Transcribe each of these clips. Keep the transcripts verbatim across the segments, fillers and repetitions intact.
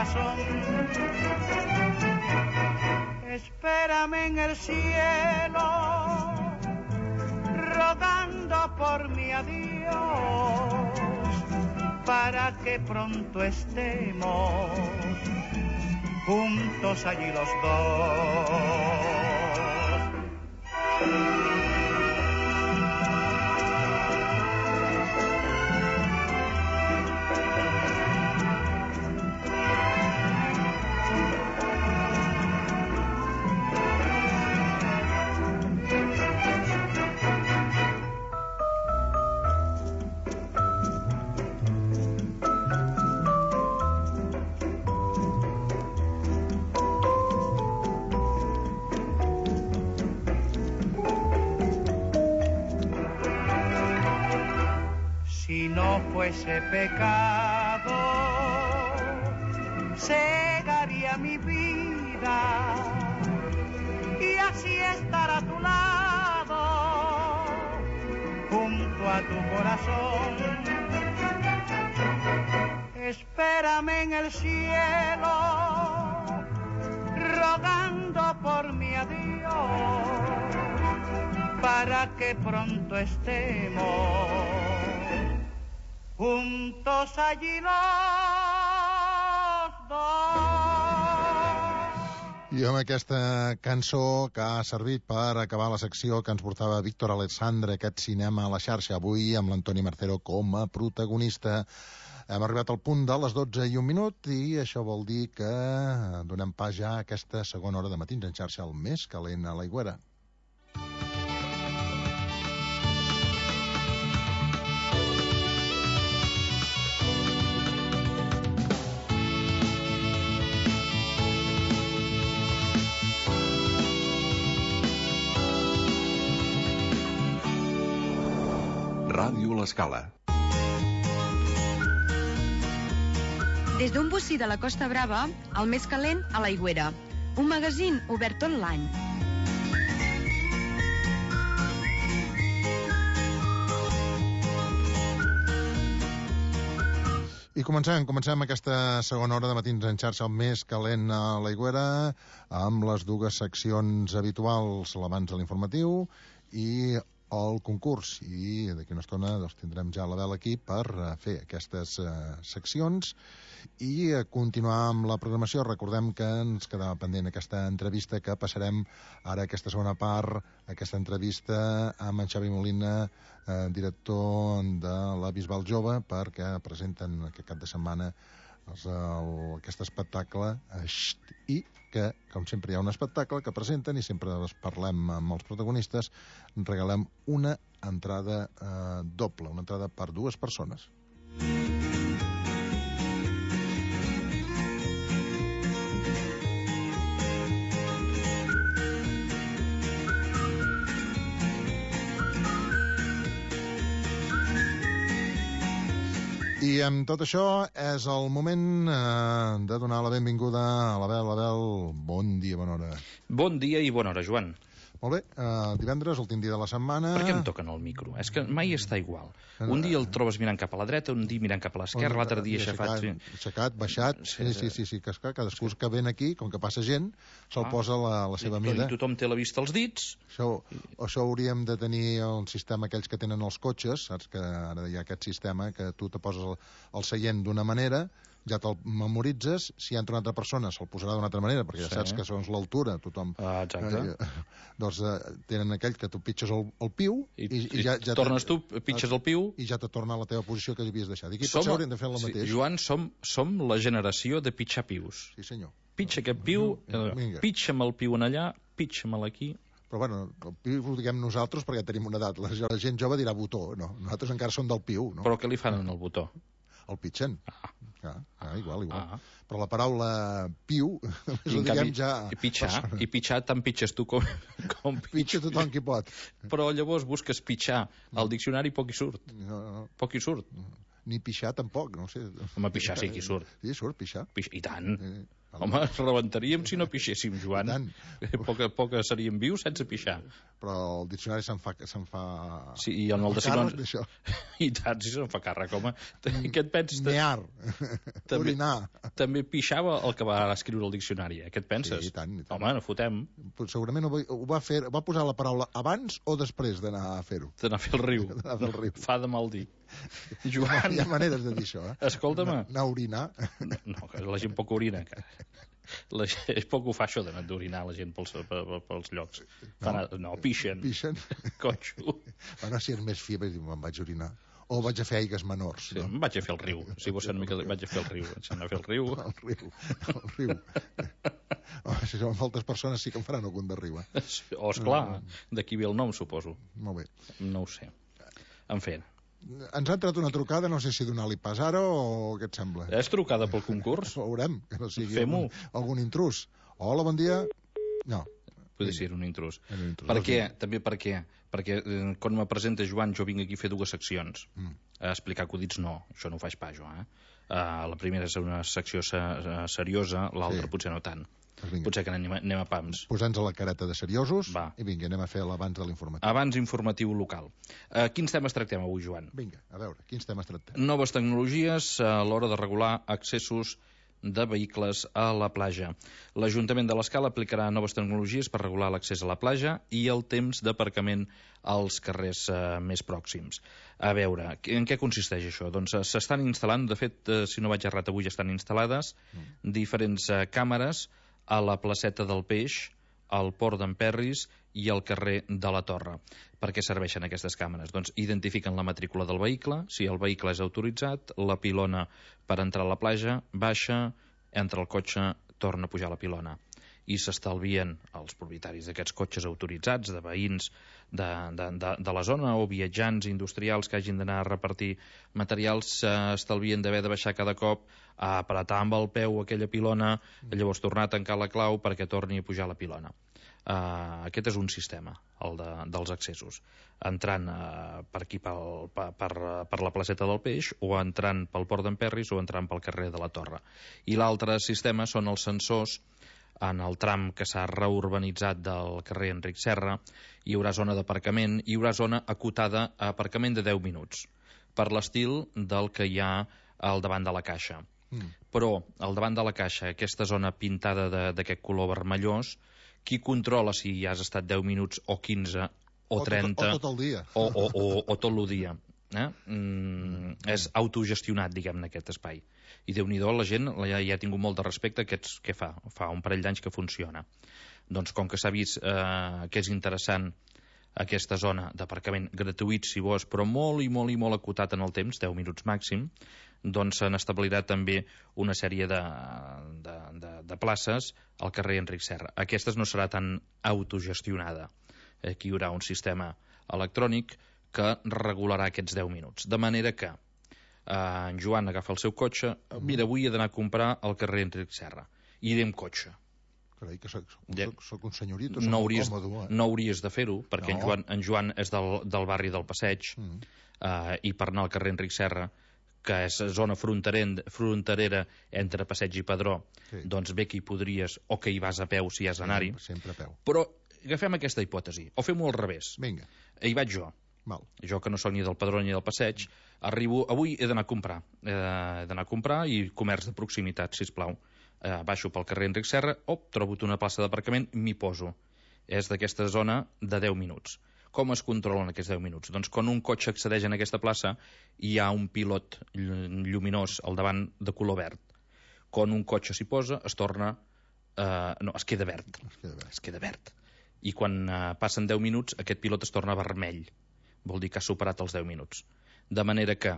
corazón. Espérame en el cielo, rogando por mi adiós, para que pronto estemos juntos allí los dos. Si no fuese pecado, cegaría mi vida y así estar a tu lado, junto a tu corazón. Espérame en el cielo, rogando por mi adiós, para que pronto estemos juntos allí los dos. I amb aquesta cançó que ha servit per acabar la secció que ens portava Víctor Alexandre, aquest cinema a la xarxa, avui amb l'Antoni Marcero com a protagonista. Hem arribat al punt de les dotze i un minut i això vol dir que donem pas ja a aquesta segona hora de Matins en xarxa, el més calent a l'Aigüera. Ràdio L'Escala. Des d'un bocí de la Costa Brava, el més calent a l'Aigüera. Un magazín obert tot l'any. I comencem, comencem aquesta segona hora de Matins en xarxa, el més calent a l'Aigüera, amb les dues seccions habituals, l'abans de l'informatiu i el concurs. I d'aquí una estona doncs, tindrem ja la vela aquí per fer aquestes uh, seccions i uh, continuar amb la programació. Recordem que ens quedava pendent aquesta entrevista que passarem ara, aquesta segona part, aquesta entrevista amb en Xavi Molina, uh, director de la Bisbal Jove, perquè presenten aquest cap de setmana doncs, el, aquest espectacle eh, i que, com sempre, hi ha un espectacle que presenten i sempre parlem amb els protagonistes, regalem una entrada eh, doble, una entrada per dues persones. I amb tot això és el moment eh, de donar la benvinguda a l'Abel. Abel, bon dia, bona hora. Bon dia i bona hora, Joan. Molt bé, eh, divendres, últim dia de la setmana... Per què em toquen el micro? És que mai està igual. Un dia el trobes mirant cap a la dreta, un dia mirant cap a l'esquerra, l'altre dia aixafat... Aixecat, aixecat, baixat... Sí, sí, sí, sí, que és clar, cadascú que ven aquí, com que passa gent, se'l posa la, la seva mida. I tothom té la vista als dits. Això, això hauríem de tenir el sistema aquells que tenen els cotxes, saps que ara hi ha aquest sistema que tu te poses el, el seient d'una manera, ja te'l memoritzes, si hi entra una altra persona se'l posarà d'una altra manera, perquè ja sí. Saps que segons l'altura tothom... Ah, exacte. Eh, doncs eh, tenen aquell que tu pitges el, el piu i, i, i ja, ja tornes tu, pitges el piu i ja te torna a la teva posició que havies deixat. I aquí potser hauríem de fer el sí, mateix. Joan, som, som la generació de pitjar pius. Sí, senyor. Pitja aquest piu, eh, pitja'm el piu en allà, pitja'm aquí. Però bueno, el piu ho diguem nosaltres perquè tenim una edat. La gent jove dirà botó, no? Nosaltres encara som del piu, no? Però què li fan en el botó? El pitxen. Ah. Ah, ah, igual, igual. Ah. Però la paraula piu, ho diguem ja... I pitxar, i pitxar tant pitxes tu com... com pitxa tothom qui pot. Però llavors busques pitxar al diccionari poc hi surt. No, no. Poc hi surt. Ni pixar tampoc, no sé. Home, pixar sí que hi surt. Sí, surt, pixar. Pix... I tant. Eh, Home, rebentaríem si no pixéssim, Joan. Poca, poca seríem vius sense pixar. però el diccionari se'n fa... Se'n fa... Sí, i en el de càrrec sinònims... d'això. I tant, si se'n fa càrrec, home. Què et penses? Mear. També, Orinar. també pixava el que va escriure el diccionari, eh? Què et penses? Sí, i tant, i tant. Home, no fotem. Però segurament ho va, ho va fer... Va posar la paraula abans o després d'anar a fer-ho? D'anar a fer el riu. D'anar a fer el riu. Fa de mal dir. Joan... Hi ha maneres de dir això, eh? Escolta'm. Anar a orinar. No, que la gent poc orina, encara. La gent, és poc ho fa això d'anar d'orinar la gent pels, pels llocs. No, no pixen. Pixen. Cotxo. Bueno, si és més fi, me'n vaig orinar. O vaig a fer aigues menors. Sí, no? Em vaig a fer el riu. Si vols ser una mica... Vaig a fer el riu. Vaig anar a fer el riu. El riu. El riu. Oh, si són moltes persones sí que em faran algun de riu, eh? Oh, esclar. D'aquí ve el nom, suposo. Molt bé. No ho sé. En fi. Ens ha entrat una trucada, no sé si donar-li pas ara o què et sembla? És trucada pel concurs? Ho veurem, que no sigui Fem-ho. algun, algun intrus. Hola, bon dia. No. Podria ser un intrus. Era un intrus. Per què? També per què? Perquè eh, quan me presenta Joan, jo vinc aquí a fer dues seccions. Mm. A explicar acudits no, això no ho faig pas jo, eh? Uh, la primera és una secció se seriosa, l'altra Sí. potser no tant. Pues vinga. Potser que anem, anem a pams. Posa'ns a la careta de seriosos. Va. I vinga, anem a fer l'abans de l'informatiu. Abans informatiu local. Uh, quins temes tractem avui, Joan? Vinga, a veure, quins temes tractem? Noves tecnologies a l'hora de regular accessos de vehicles a la platja. L'Ajuntament de l'Escala aplicarà noves tecnologies per regular l'accés a la platja i el temps d'aparcament als carrers eh, més pròxims. A veure, en què consisteix això? Doncs eh, s'estan instal·lant, de fet, eh, si no vaig errat, avui ja estan instal·lades mm. diferents eh, càmeres a la placeta del Peix, al port d'en Perris i al carrer de la Torre. Per què serveixen aquestes càmeres? Doncs identifiquen la matrícula del vehicle, si el vehicle és autoritzat, la pilona per entrar a la platja, baixa, entra el cotxe, torna a pujar a la pilona. I s'estalvien els propietaris d'aquests cotxes autoritzats, de veïns de, de, de, de la zona o viatjants industrials que hagin d'anar a repartir materials, s'estalvien d'haver de baixar cada cop a apretar amb el peu aquella pilona, llavors tornar a tancar la clau perquè torni a pujar la pilona. Uh, aquest és un sistema, el de, dels accessos, entrant uh, per aquí pel, per, per, per la placeta del Peix, o entrant pel port d'en Perris, o entrant pel carrer de la Torre. I l'altre sistema són els sensors. En el tram que s'ha reurbanitzat del carrer Enric Serra hi haurà zona d'aparcament, hi haurà zona acotada a aparcament de deu minuts, per l'estil del que hi ha al davant de la caixa. Mm. Però al davant de la caixa, aquesta zona pintada d'aquest color vermellós, qui controla si hi has estat deu minuts o quinze o trenta... O tot, o tot el dia. O, o, o, o tot el dia. Eh? Mm, és autogestionat, diguem-ne, aquest espai. I Déu-n'hi-do, la gent ja, ja ha tingut molt de respecte a aquests, què fa? Fa un parell d'anys que funciona. Doncs com que s'ha vist eh, que és interessant aquesta zona d'aparcament gratuït, si vols, però molt i molt i molt acotat en el temps, deu minuts màxim, doncs se n'establirà també una sèrie de, de, de, de places al carrer Enric Serra. Aquestes no serà tan autogestionada. Aquí hi haurà un sistema electrònic que regularà aquests deu minuts. De manera que eh, en Joan agafa el seu cotxe, mira, avui he d'anar a comprar al carrer Enric Serra. I iré amb cotxe. Carai, que soc, soc, soc un senyorito, soc no molt hauries, còmode. Eh? No hauries de fer-ho, perquè no. en, Joan, en Joan és del, del barri del Passeig, mm. eh, i per anar al carrer Enric Serra, que és zona fronterera entre Passeig i Padró, sí. Doncs bé que hi podries, o que hi vas a peu si has d'anar-hi. Sempre a peu. Però agafem aquesta hipòtesi, o fem-ho al revés. Vinga. Hi vaig jo. Val. Jo que no soc ni del Padró ni del Passeig, arribo, avui he d'anar a comprar. Eh, he d'anar a comprar i comerç de proximitat, sisplau. Eh, baixo pel carrer Enric Serra, op, trobo una plaça d'aparcament, m'hi poso. És d'aquesta zona de deu minuts. Com es controlen aquests deu minuts? Doncs quan un cotxe accedeix en aquesta plaça hi ha un pilot lluminós al davant de color verd. Quan un cotxe s'hi posa es torna... Eh, no, es queda verd. Es queda verd. Es queda verd. I quan eh, passen deu minuts aquest pilot es torna vermell. Vol dir que ha superat els deu minuts. De manera que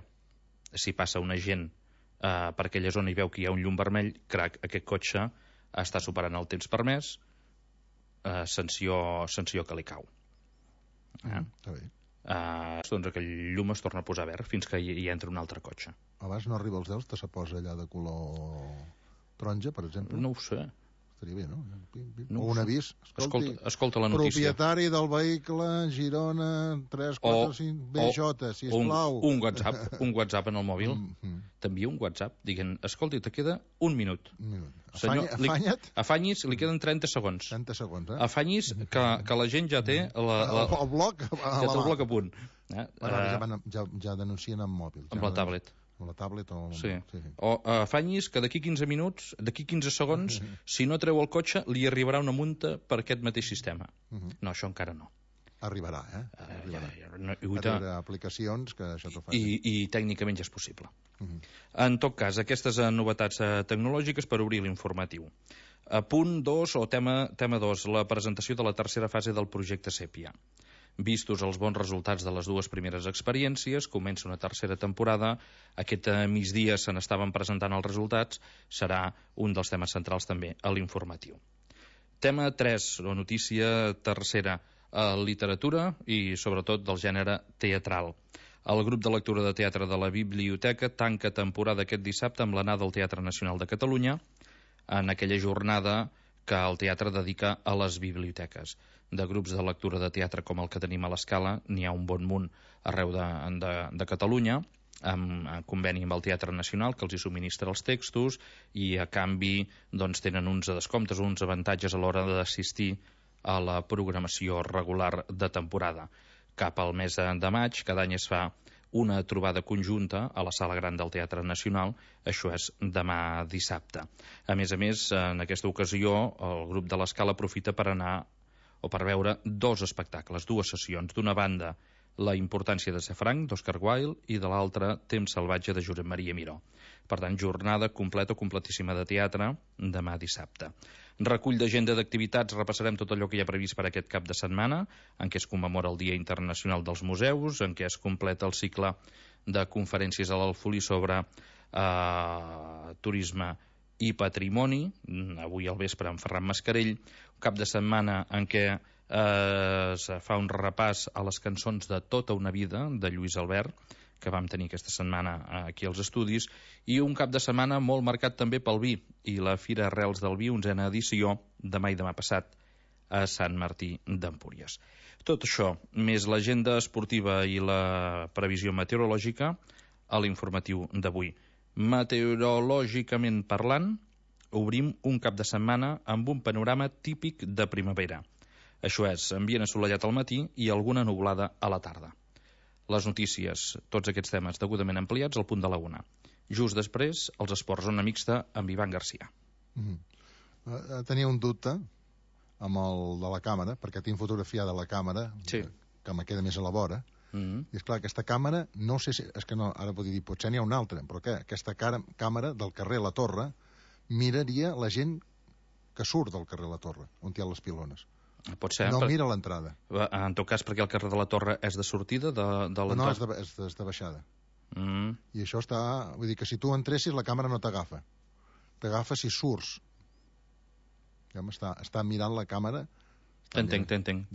si passa un agent eh, per aquella zona i veu que hi ha un llum vermell, crac, aquest cotxe està superant el temps permès, eh, sanció, sanció que li cau. Eh? Està bé. Uh, doncs aquell llum es torna a posar verd fins que hi, hi entra un altre cotxe. Abans no arriba als deu, te se posa allà de color taronja, per exemple? No ho sé. Estaria bé, no? No, o un avís. Escolti, escolta, escolta la notícia. Propietari del vehicle Girona tres quatre cinc B J, sisplau. Un, un WhatsApp, un WhatsApp en el mòbil. Mm -hmm. T'envia un WhatsApp dient, escolti, te queda un minut. Un minut. Senyor, Afanya, afanya't. Li, afanyis, li queden trenta segons. trenta segons, eh? Afanyis que, que la gent ja té la, la, el, el bloc a ja té el bloc a punt. Eh? Bueno, ja, van, ja, ja denuncien amb mòbil. Amb la tablet. Amb la tablet o... Sí. sí. O afanyis que d'aquí quinze minuts, d'aquí quinze segons, si no treu el cotxe, li arribarà una multa per aquest mateix sistema. Uh -huh. No, això encara no. Arribarà, eh? Arribarà. Uh, ja, ja, no, hi haurà aplicacions que això t'ho facin. I, I tècnicament ja és possible. Uh -huh. En tot cas, aquestes novetats tecnològiques per obrir l'informatiu. A punt dos, o tema, tema dos, la presentació de la tercera fase del projecte Sèpia. Vistos els bons resultats de les dues primeres experiències, comença una tercera temporada. Aquest migdia se n'estaven presentant els resultats. Serà un dels temes centrals també a l'informatiu. Tema tres, o notícia tercera, a literatura i sobretot del gènere teatral. El grup de lectura de teatre de la Biblioteca tanca temporada aquest dissabte amb l'anada al Teatre Nacional de Catalunya, en aquella jornada que el teatre dedica a les biblioteques. De grups de lectura de teatre com el que tenim a l'Escala, n'hi ha un bon munt arreu de, de, de Catalunya, amb, en conveni amb el Teatre Nacional, que els hi subministra els textos, i a canvi doncs, tenen uns descomptes, uns avantatges a l'hora d'assistir a la programació regular de temporada. Cap al mes de maig, cada any es fa una trobada conjunta a la Sala Gran del Teatre Nacional, això és demà dissabte. A més a més, en aquesta ocasió, el grup de l'Escala aprofita per anar o per veure dos espectacles, dues sessions. D'una banda, La importància de ser franc, d'Oscar Wilde, i de l'altra, Temps salvatge, de Josep Maria Miró. Per tant, jornada completa, completíssima de teatre, demà dissabte. Recull d'agenda d'activitats, repassarem tot allò que hi ha previst per aquest cap de setmana, en què es commemora el Dia Internacional dels Museus, en què es completa el cicle de conferències a l'Alfolí sobre eh, turisme i patrimoni, avui al vespre amb Ferran Mascarell, un cap de setmana en què eh, es fa un repàs a les cançons de Tota una vida, de Lluís Albert, que vam tenir aquesta setmana aquí als estudis, i un cap de setmana molt marcat també pel vi, i la Fira Arrels del Vi, onzena edició, demà i demà passat, a Sant Martí d'Empúries. Tot això, més l'agenda esportiva i la previsió meteorològica, a l'informatiu d'avui. Meteorològicament parlant, obrim un cap de setmana amb un panorama típic de primavera. Això és, ambient assolellat al matí i alguna nuvolada a la tarda. Les notícies, tots aquests temes degudament ampliats al punt de la una. Just després, els esports, zona mixta amb Ivan Garcia. Mm-hmm. uh, tenia un dubte amb el de la càmera, perquè tinc fotografia de la càmera, sí, que, que me queda més a la vora. Mm-hmm. I és clar, aquesta càmera, no sé si... És que no, ara podria dir, potser n'hi ha una altra, però què? Aquesta cara, càmera del carrer La Torre miraria la gent que surt del carrer La Torre, on hi ha les pilones. Pot ser, no per... mira l'entrada. En tot cas, perquè el carrer de la Torre és de sortida de, de l'entrada? No, és de, és de, és de baixada. Mm. I això està... Vull dir que si tu entressis, la càmera no t'agafa. T'agafa si surts. Ja està, està mirant la càmera... T'entenc, t'entenc.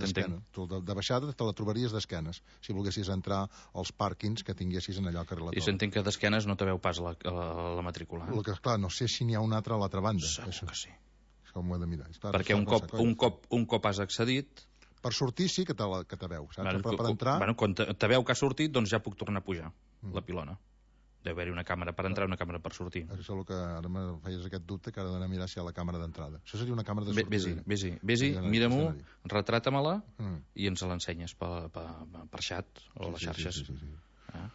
Tu de, de baixada te la trobaries d'esquenes, si volguessis entrar als pàrquings que tinguessis en allò al carrer La Torre. I s'entén que d'esquenes no te veu pas la, la, la matrícula. Eh? El que, clar, no sé si n'hi ha una altra a l'altra banda. Segur això. que sí. Això m'ho he de mirar. Clar, perquè un cop, un, cop, un cop has accedit... Per sortir sí que te, la, que te veu, saps? Bueno, Però per entrar... Bueno, quan te, te veu que ha sortit, doncs ja puc tornar a pujar, mm. la pilona. Deu haver-hi una càmera per entrar i una càmera per sortir. Això és el que ara me feies aquest dubte, que ara d'anar a mirar si hi ha la càmera d'entrada. Això seria una càmera de sortida. Vés-hi, vés-hi, vés-hi, mira-m'ho, retrata-me-la mm. i ens l'ensenyes per, per, per xat o sí, les xarxes. Sí, sí, sí, sí. Ah.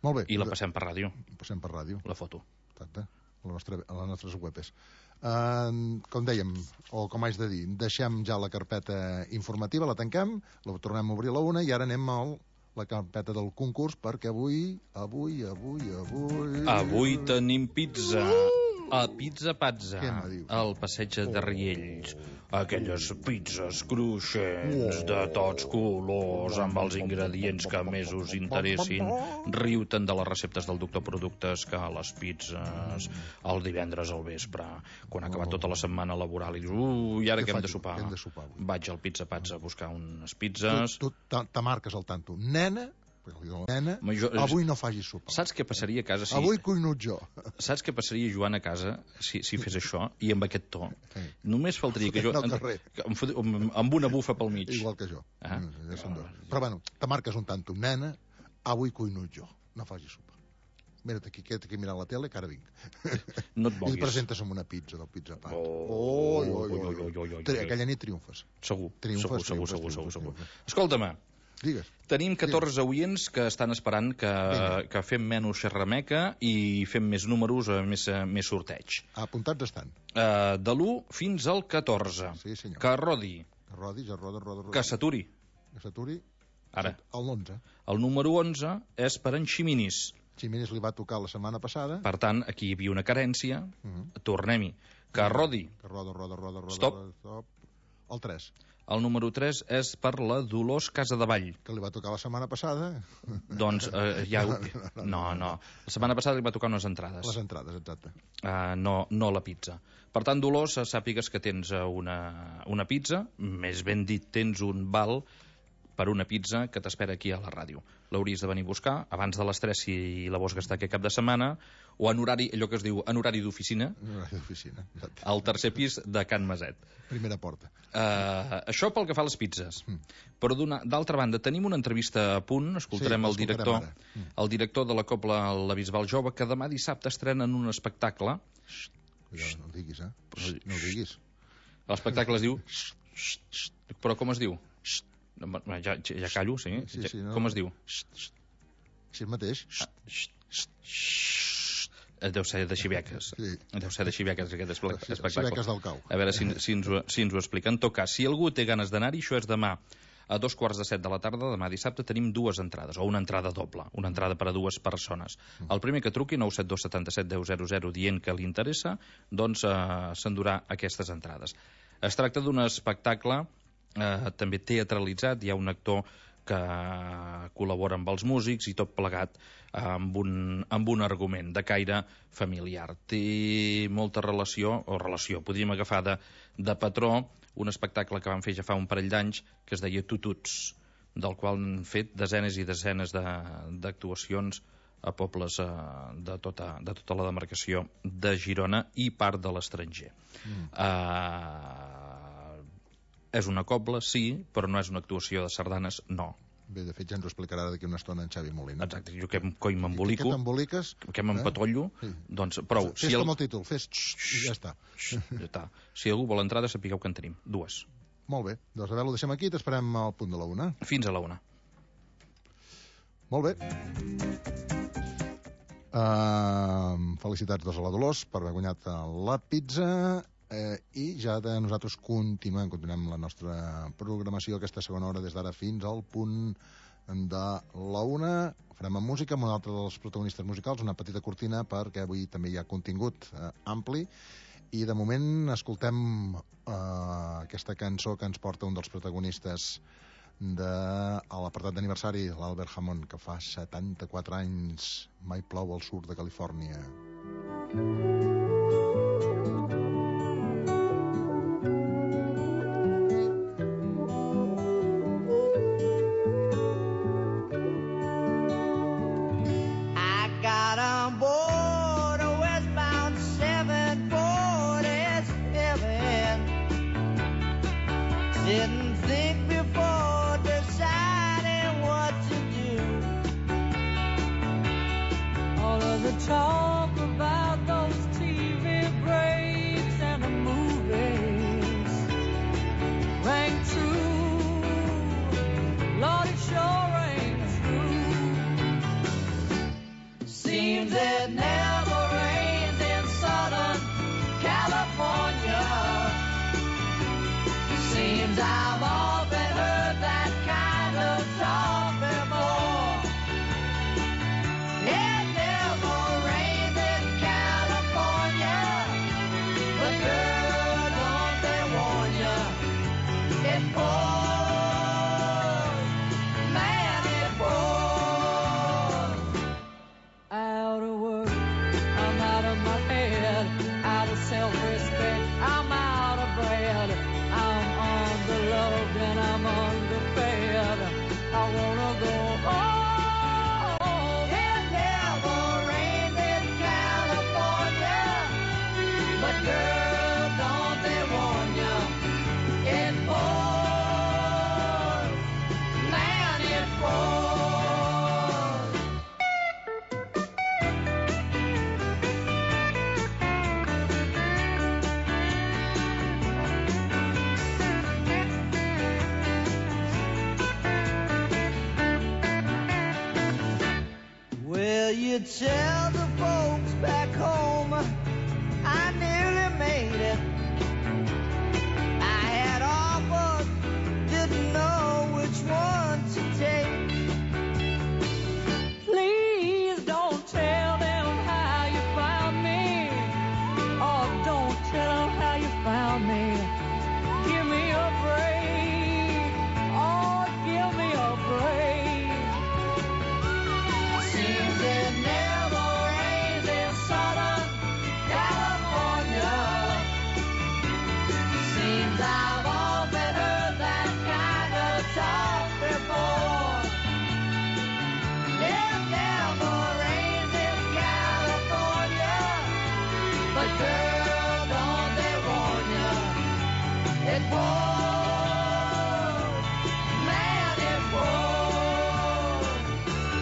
Molt bé. I la passem per ràdio. Passem per ràdio. La foto. Exacte. A, la nostra, a les nostres webs. Uh, com dèiem, o com haig de dir, deixem ja la carpeta informativa, la tanquem, la tornem a obrir a la una i ara anem al la carpeta del concurs, perquè avui, avui, avui, avui... Avui tenim pizza. A Pizza Pazza, al passeig de Riells. Aquelles pizzas cruixents de tots colors, amb els ingredients que més us interessin. Riu-te'n de les receptes del doctor Productes, que les pizzas el divendres al vespre, quan ha acabat tota la setmana laboral, i dius, ui, i ara què hem de sopar? Vaig al Pizza Pazza a buscar unes pizzas. Tu te marques al tanto. Nena, Nena, jo, avui no facis sopa. Saps què passaria a casa si... Avui cuino jo. Saps què passaria, Joan, a casa si, si fes això i amb aquest to? Sí. Només faltaria que jo... En, amb, amb una bufa pel mig. Igual que jo. Ah. Ja són dos. Però bueno, te marques un tanto. Nena, avui cuino jo. No facis sopa. Mira't aquí, queda't aquí mirant la tele, que ara vinc. No et moguis. I et presentes amb una pizza del Pizza Pat. Oh, oi, oi, oi, oi, oi. Aquella nit triomfes. Segur, triomfes, segur, triomfes, segur, triomfes, segur, triomfes. Escolta-me, digues. Tenim catorze digues. Oients que estan esperant que, que fem menys xerrameca i fem més números, més, més sorteig. Apuntats estan. Uh, de l'u fins al catorze. Sí, senyor. Que rodi. Que rodi, ja roda, roda, roda. Que s'aturi. Que s'aturi. Ara. El onze. El número onze és per en Ximinis. Ximinis li va tocar la setmana passada. Per tant, aquí hi havia una carència. Uh -huh. Tornem-hi. Que rodi. Que roda, roda, roda, roda. Stop. Roda, stop. El tres. El número tres és per la Dolors Casadevall. Que li va tocar la setmana passada. Doncs eh, ja... No, no. La setmana passada li va tocar unes entrades. Les entrades, exacte. Uh, no, no la pizza. Per tant, Dolors, sàpigues que tens una, una pizza, més ben dit, tens un val per una pizza que t'espera aquí a la ràdio. L'hauries de venir a buscar abans de les tres si la vols gastar aquest cap de setmana, o en horari, allò que es diu, en horari d'oficina, en horari d'oficina, exacte. Al tercer pis de Can Maset. Primera porta. Uh, això pel que fa a les pizzas. Mm. Però d'altra banda, tenim una entrevista a punt, escoltarem sí, el director mm. el director de la Cobla La Bisbal Jove, que demà dissabte estrenen un espectacle. Xxt, ja, no ho diguis, eh? Xxt, no ho diguis. L'espectacle es diu... Xxt, xxt. Però com es diu? Xxt. Ja, ja callo, sí. sí, sí no, com es diu? Així mateix. Deu ser de Xiveques. Sí. Deu ser de Xiveques, aquest espectacle. Xiveques del Cau. A veure si, si, ens ho, si ens ho explica. En tot cas, si algú té ganes d'anar-hi, això és demà a dos quarts de set de la tarda, demà dissabte, tenim dues entrades, o una entrada doble, una entrada per a dues persones. El primer que truqui, nou set dos set set deu zero zero, dient que li interessa, doncs eh, s'endurà aquestes entrades. Es tracta d'un espectacle eh, també teatralitzat, hi ha un actor que col·labora amb els músics i tot plegat amb un, amb un argument de caire familiar. Té molta relació, o relació, podríem agafar de, de patró, un espectacle que van fer ja fa un parell d'anys que es deia Tututs, del qual han fet desenes i desenes d'actuacions a pobles eh, de, tota, de tota la demarcació de Girona i part de l'estranger. Mm. Uh, és una cobla, sí, però no és una actuació de sardanes, no. Bé, de fet ja ens ho explicarà d'aquí una estona en Xavi Molina. Exacte, jo que coi m'embolico, que t'emboliques, que m'empatollo, eh? Doncs prou. Fes si el... com el títol, fes xxt, i ja està. Ja està. Si algú vol entrada, sapigueu que en tenim, dues. Molt bé, doncs a veure, ho deixem aquí i t'esperem al punt de la una. Fins a la una. Molt bé. Uh, felicitats doncs a la Dolors per haver guanyat la pizza. Eh, i ja de nosaltres continuem continuem la nostra programació aquesta segona hora des d'ara fins al punt de la una. Farem amb música amb un altre dels protagonistes musicals, una petita cortina perquè avui també hi ha contingut eh, ampli, i de moment escoltem eh, aquesta cançó que ens porta un dels protagonistes de l'apartat d'aniversari, l'Albert Hammond, que fa setanta-quatre anys. Mai plou al sud de Califòrnia. Didn't think before deciding what to do. All of the talk about those T V breaks and the movies rang true. Lord, it sure rang true. Seems it never rains in Southern California. Seems I've often heard that kind of talk before. It never rains in California, but girl, don't they warn ya? It pours, man, it pours. Out of work, I'm out of my head, out of self-respect, I'm out of bread. I'm on the love could tell the folks back home I nearly made it. I had offers, didn't know which one to take. Please don't tell them how you found me. Oh, don't tell them how you found me. Give me a break. Oh, give me a break. Seems it never rains in Southern California. Seems I've often heard that kind of talk before. It never rains in California, but girl, don't they warn ya? It pours, man, it pours.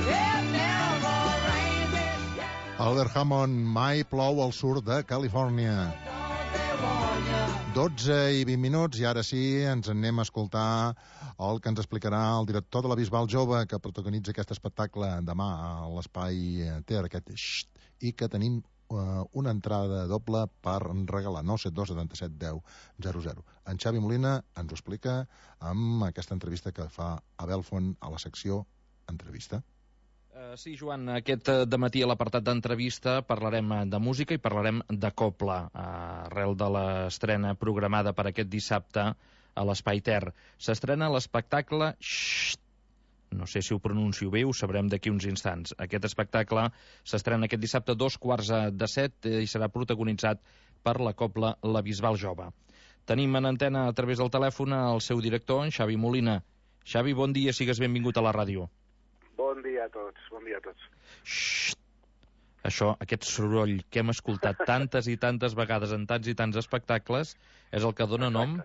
It never rains in California, Albert Hammond, mai plou al sud de Califòrnia. don't they warn ya? dotze i vint minuts, i ara sí, ens anem a escoltar el que ens explicarà el director de la Bisbal Jove, que protagonitza aquest espectacle demà a l'Espai Ter, aquest Xxt, i que tenim uh, una entrada doble per regalar, nou set dos setanta set deu zero zero. En Xavi Molina ens ho explica amb aquesta entrevista que fa a Belfont a la secció Entrevista. Uh, sí, Joan, aquest uh, dematí a l'apartat d'entrevista parlarem uh, de música i parlarem de copla, uh, arrel de l'estrena programada per aquest dissabte a l'Espai Ter. S'estrena l'espectacle Xxt. No sé si ho pronuncio bé, ho sabrem d'aquí uns instants. Aquest espectacle s'estrena aquest dissabte a dos quarts de set eh, i serà protagonitzat per la copla La Bisbal Jove. Tenim en antena a través del telèfon el seu director, en Xavi Molina. Xavi, bon dia, sigues benvingut a la ràdio. Bon dia a tots, bon dia a tots. Xxt. Això, aquest soroll que hem escoltat tantes i tantes vegades en tants i tants espectacles és el que dona nom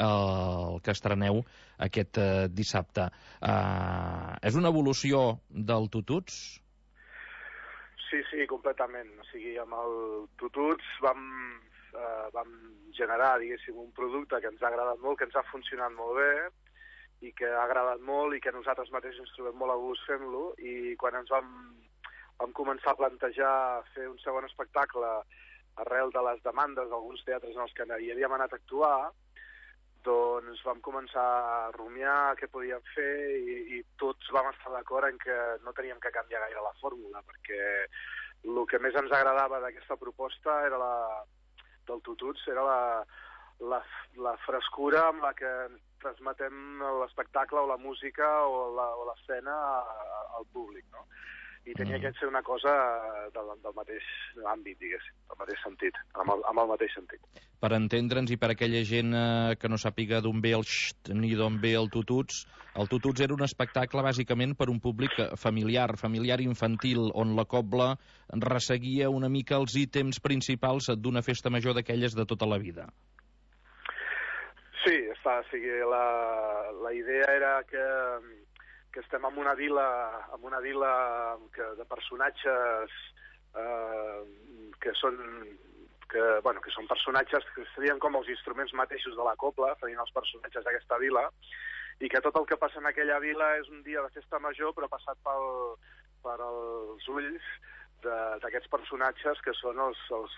al que estreneu aquest uh, dissabte. Uh, és una evolució del Tututs? Sí, sí, completament. O sigui, amb el Tututs vam, eh, vam generar, diguéssim, un producte que ens ha agradat molt, que ens ha funcionat molt bé i que ha agradat molt i que nosaltres mateixos ens trobem molt a gust fent-lo, i quan ens vam, vam començar a plantejar fer un segon espectacle arrel de les demandes d'alguns teatres en els que hi havíem anat a actuar, doncs vam començar a rumiar què podíem fer i, i tots vam estar d'acord en que no teníem que canviar gaire la fórmula, perquè el que més ens agradava d'aquesta proposta era la, del Tututs, era la, la, la frescura amb la que transmetem l'espectacle o la música o l'escena al públic, no? I tenia que ser una cosa del, del mateix àmbit, diguéssim, del mateix sentit, amb el, amb el mateix sentit. Per entendre'ns i per aquella gent eh, que no sàpiga d'on ve el Xxt ni d'on ve el Tututs, el Tututs era un espectacle bàsicament per un públic familiar, familiar infantil, on la cobla resseguia una mica els ítems principals d'una festa major d'aquelles de tota la vida. Sí, està, o sigui, la, la idea era que que estem en una vila, en una vila que, de personatges eh, que són que, bueno, que són personatges que serien com els instruments mateixos de la copla, serien els personatges d'aquesta vila, i que tot el que passa en aquella vila és un dia de festa major, però passat pel, per els ulls d'aquests personatges que són els, els,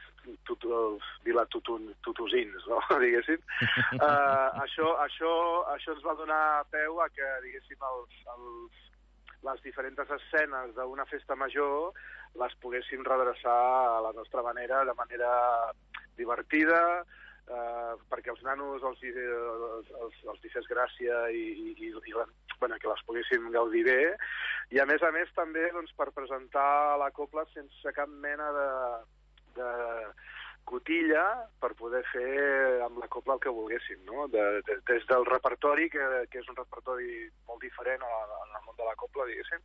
tutu, els vilatutosins, no? diguéssim. Uh, això, això, això ens va donar peu a que, diguéssim, els, els, les diferents escenes d'una festa major les poguéssim redreçar a la nostra manera, de manera divertida, uh, perquè els nanos els, els, els, els hi fes gràcia i, i, i, i bueno, que les poguéssim gaudir bé, i a més a més també doncs, per presentar la copla sense cap mena de, de cotilla, per poder fer amb la copla el que volguéssim, no? De, de, des del repertori, que, que és un repertori molt diferent en el món de la copla, diguéssim,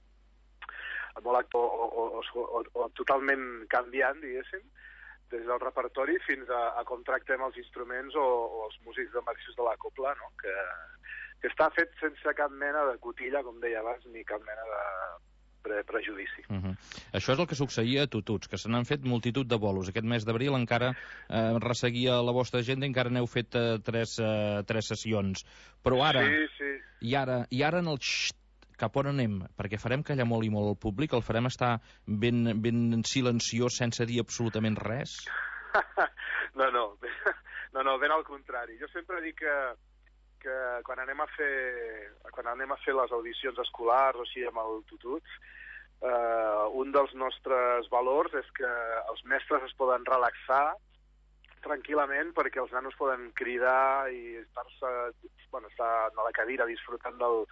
molt actor, o, o, o, o, o totalment canviant, diguéssim, des del repertori fins a, a com tractem els instruments o, o els músics de mateixos de la copla, no? que, que està fet sense cap mena de cotilla, com deia abans, ni cap mena de pre prejudici. Uh -huh. Això és el que succeïa a Tututs, que se n'han fet multitud de bolos. Aquest mes d'abril encara eh, resseguia la vostra agenda, encara n'heu fet eh, tres, eh, tres sessions. Però ara, sí, sí. I ara, i ara en el Xxt cap on anem? Perquè farem callar molt i molt el públic, el farem estar ben, ben silenciós sense dir absolutament res? No, no, no, no, ben al contrari. Jo sempre dic que, que quan anem a fer quan anem a fer les audicions escolars o així amb el Tututs, eh, un dels nostres valors és que els mestres es poden relaxar tranquil·lament perquè els nanos poden cridar i estar-se, bueno, estar a la cadira disfrutant del,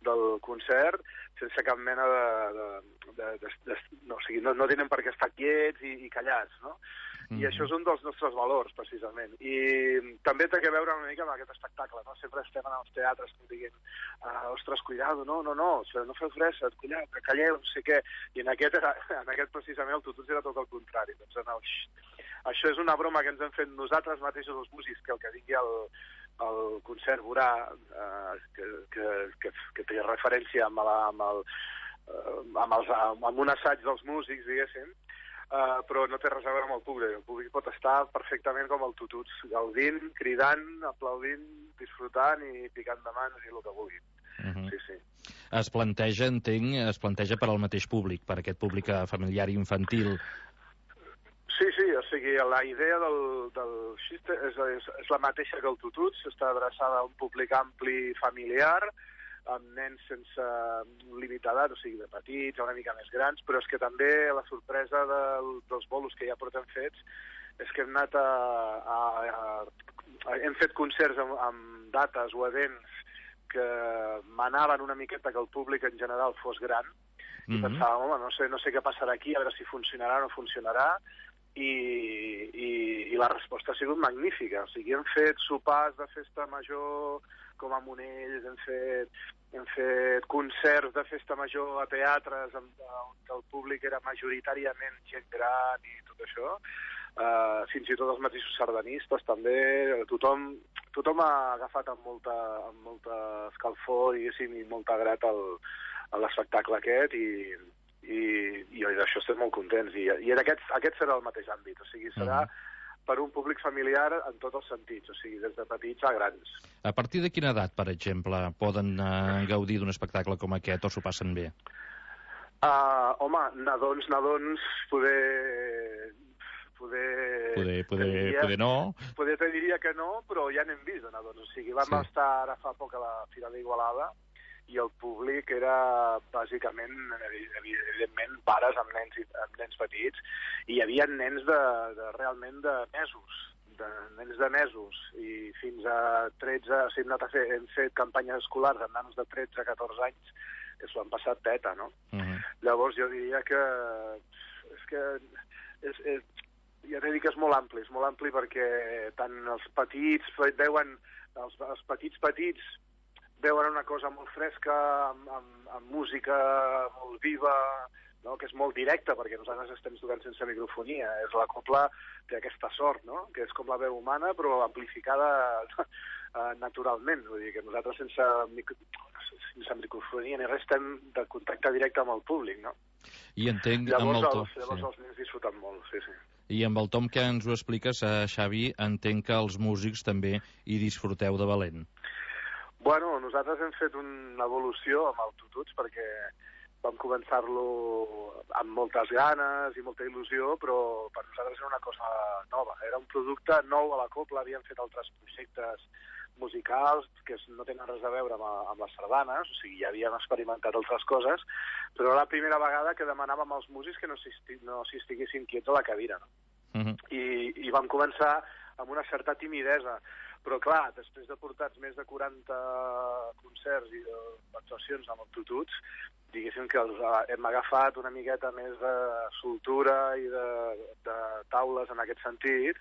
del concert sense cap mena de... de, de, de, de no, o sigui, no, no tenen per què estar quiets i, i callats, no? Mm-hmm. I això és un dels nostres valors, precisament. I també té a veure una mica amb aquest espectacle, no? Sempre estem en els teatres que diguin uh, ostres, cuidado, no, no, no, no feu res, cuidado, que calleu, no sé què. I en aquest, era, en aquest precisament, el Tututs era tot el contrari. Doncs, no, això és una broma que ens hem fet nosaltres mateixos, els músics, que el que digui el, el concert veurà eh, que, que, que, que té referència amb, la, amb, el, eh, amb, els, amb un assaig dels músics, diguéssim, eh, però no té res a veure amb el públic. El públic pot estar perfectament com el Tututs, gaudint, cridant, aplaudint, disfrutant i picant de mans i el que vulgui. Uh-huh. Sí, sí. Es planteja, entenc, es planteja per al mateix públic, per aquest públic familiar i infantil. Sí, sí, o sigui, la idea del, del xiste és, és, és la mateixa que el Tututs, està adreçada a un públic ampli familiar, amb nens sense límit d'edat, o sigui, de petits, una mica més grans, però és que també la sorpresa del, dels bolos que ja portem fets és que hem anat a... a, a hem fet concerts amb, amb dates o events que manaven una miqueta que el públic en general fos gran, i mm-hmm. pensàvem, home, no sé, no sé què passarà aquí, a veure si funcionarà o no funcionarà, I, i, i la resposta ha sigut magnífica. O sigui, hem fet sopars de festa major com a Monells, hem fet, hem fet concerts de festa major a teatres on el públic era majoritàriament gent gran i tot això, uh, fins i tot els mateixos sardanistes també, tothom, tothom ha agafat amb molta, amb molta escalfor i, i molta grat el, l'espectacle aquest i i, i d'això estem molt contents i, i en aquest, aquest serà el mateix àmbit, o sigui, serà mm. per un públic familiar en tots els sentits, o sigui, des de petits a grans. A partir de quina edat, per exemple, poden uh, gaudir d'un espectacle com aquest o s'ho passen bé? Uh, home, nadons, nadons, poder... Poder, poder, poder, diria, poder no. Poder te diria que no, però ja n'hem vist de nadons, o sigui, vam sí. estar ara fa poc a la Fira d'Igualada i el públic era bàsicament, evidentment, pares amb nens, amb nens petits, i hi havia nens de, de realment de mesos, de nens de mesos, i fins a tretze, o sigui, hem, anat a fer, hem fet campanyes escolars amb nanos de tretze a catorze anys, que s'ho han passat teta, no? Uh-huh. Llavors jo diria que és que és, és, ja t'he dit que és molt ampli, és molt ampli perquè tant els petits veuen, els, els petits petits veuen una cosa molt fresca, amb, amb, amb música molt viva, no? Que és molt directa, perquè nosaltres estem tocant sense microfonia. És la copla té aquesta sort, no? Que és com la veu humana, però amplificada naturalment. Vull dir que nosaltres sense, micro... sense microfonia ni res estem de contacte directe amb el públic, no? I entenc... Llavors, amb el to... els, llavors sí. els nens disfruten molt, sí, sí. I amb el tom que ens ho expliques, eh, Xavi, entenc que els músics també hi disfruteu de valent. Bueno, nosaltres hem fet una evolució amb el Tututs perquè vam començar-lo amb moltes ganes i molta il·lusió, però per nosaltres era una cosa nova. Era un producte nou a la copla, havíem fet altres projectes musicals que no tenen res a veure amb, amb les sardanes, o sigui, ja havíem experimentat altres coses, però era la primera vegada que demanàvem als músics que no s'hi no estiguessin quiets a la cadira, no? Uh-huh. I, I vam començar amb una certa timidesa. Però, clar, després de portar més de quaranta concerts i actuacions amb el Tututs, diguéssim que els hem agafat una miqueta més de soltura i de, de taules en aquest sentit,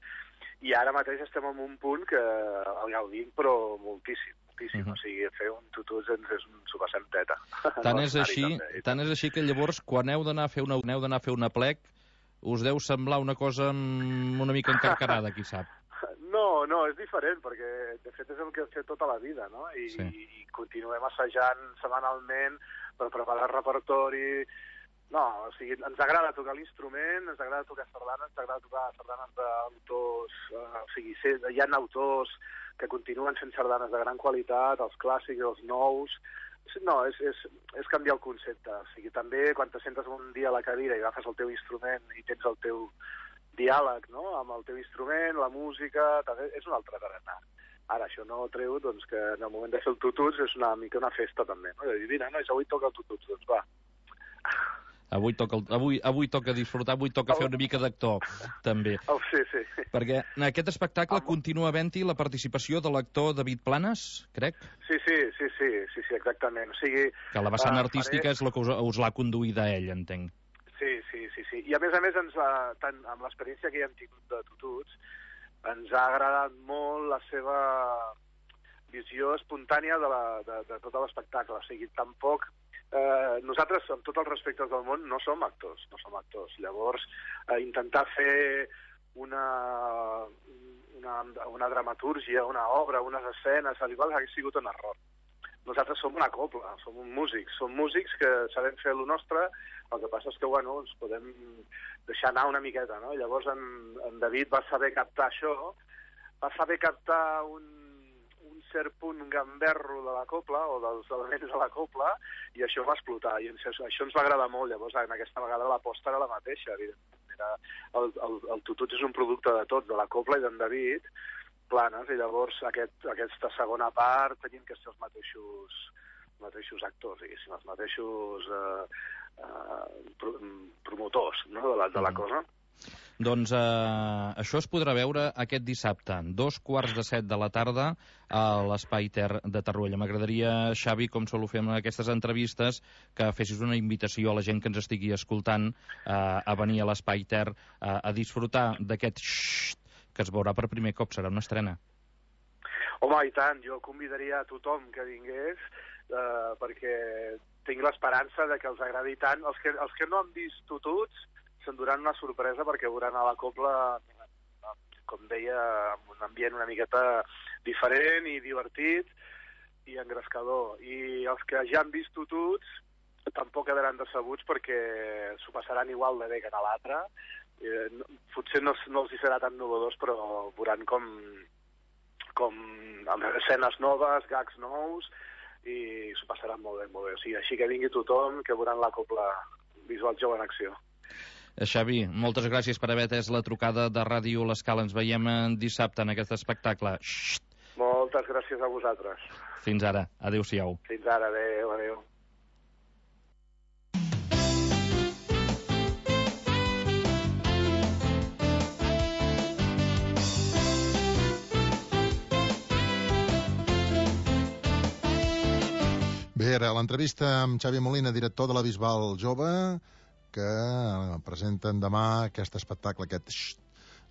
i ara mateix estem en un punt que el gaudim, però moltíssim, moltíssim. Uh-huh. O sigui, fer un Tututs ens és un s'ho passem teta. Tant és així, tant és així que llavors, quan heu d'anar a fer una, heu d'anar a fer una plec, us deu semblar una cosa una mica encarcarada, qui sap. No, no, és diferent, perquè de fet és el que hem fet tota la vida, no? I, sí. i continuem assajant setmanalment per preparar el repertori. No, o sigui, ens agrada tocar l'instrument, ens agrada tocar sardanes, ens agrada tocar sardanes d'autors, eh, o sigui, hi ha autors que continuen fent sardanes de gran qualitat, els clàssics, els nous, No, és, és, és canviar el concepte. O sigui, també quan te sentes un dia a la cadira i agafes el teu instrument i tens el teu diàleg, no?, amb el teu instrument, la música, també és un altre tarannà. Ara, això no treu, doncs, que en el moment de fer el tututs és una mica una festa, també, no? I dir, mira, nois, avui toca el tututs, doncs va. Avui toca, el, avui, avui toca disfrutar, avui toca fer una mica d'actor, també. Oh, sí, sí. Perquè en aquest espectacle Am... continua havent-hi la participació de l'actor David Planes, crec? Sí, sí, sí, sí, sí, sí, exactament. O sigui... Que la vessant uh, artística faré... és la que us, us l'ha conduïda a ell, entenc. Sí, sí, sí, sí. I a més a més, ens ha, tant, amb l'experiència que hi hem tingut de tututs, ens ha agradat molt la seva visió espontània de, la, de, de tot l'espectacle. O sigui, tampoc... Eh, nosaltres, amb tots els respectes del món, no som actors, no som actors. Llavors, eh, intentar fer una, una, una dramatúrgia, una obra, unes escenes, al igual hauria sigut un error. Nosaltres som una copla, som un músics, som músics que sabem fer el nostre, el que passa és que, bueno, ens podem deixar anar una miqueta, no? Llavors en, en David va saber captar això, va saber captar un cert punt gamberro de la copla, o dels elements de la copla, i això va explotar, i això, això ens va agradar molt. Llavors, en aquesta vegada l'aposta era la mateixa, evidentment. Era, el, el, el tututs és un producte de tot, de la copla i d'en David Planes, i llavors aquest, aquesta segona part tenim que ser els mateixos, mateixos actors, diguéssim, els mateixos eh, eh, promotors, no?, de la, de la cosa. Doncs eh, això es podrà veure aquest dissabte, dos quarts de set de la tarda, a l'Espai Ter de Torroella. M'agradaria, Xavi, com solo fem en aquestes entrevistes, que fessis una invitació a la gent que ens estigui escoltant eh, a venir a l'Espai Ter eh, a disfrutar d'aquest xxxt que es veurà per primer cop. Serà una estrena. Home, i tant, jo convidaria a tothom que vingués, eh, perquè tinc l'esperança de que els agradi tant. Els que, els que no han vist tututs s'enduran una sorpresa, perquè veuran a la copla, com deia, amb un ambient una miqueta diferent i divertit i engrescador. I els que ja han vist tututs tampoc quedaran decebuts, perquè s'ho passaran igual de bé que en l'altre. Eh, potser no, no els hi serà tan novedós, però veuran com, com amb escenes noves, gags nous, i s'ho passaran molt bé, molt bé. O sigui, així que vingui tothom, que veuran la copla Visual Jove en acció. Xavi, moltes gràcies per haver atès la trucada de Ràdio L'Escala. Ens veiem dissabte en aquest espectacle. Xxt. Moltes gràcies a vosaltres. Fins ara. Adéu-siau. Fins ara. Adéu, adéu. Bé, ara l'entrevista amb Xavi Molina, director de la Bisbal Jove, que presenten demà aquest espectacle, aquest xxt,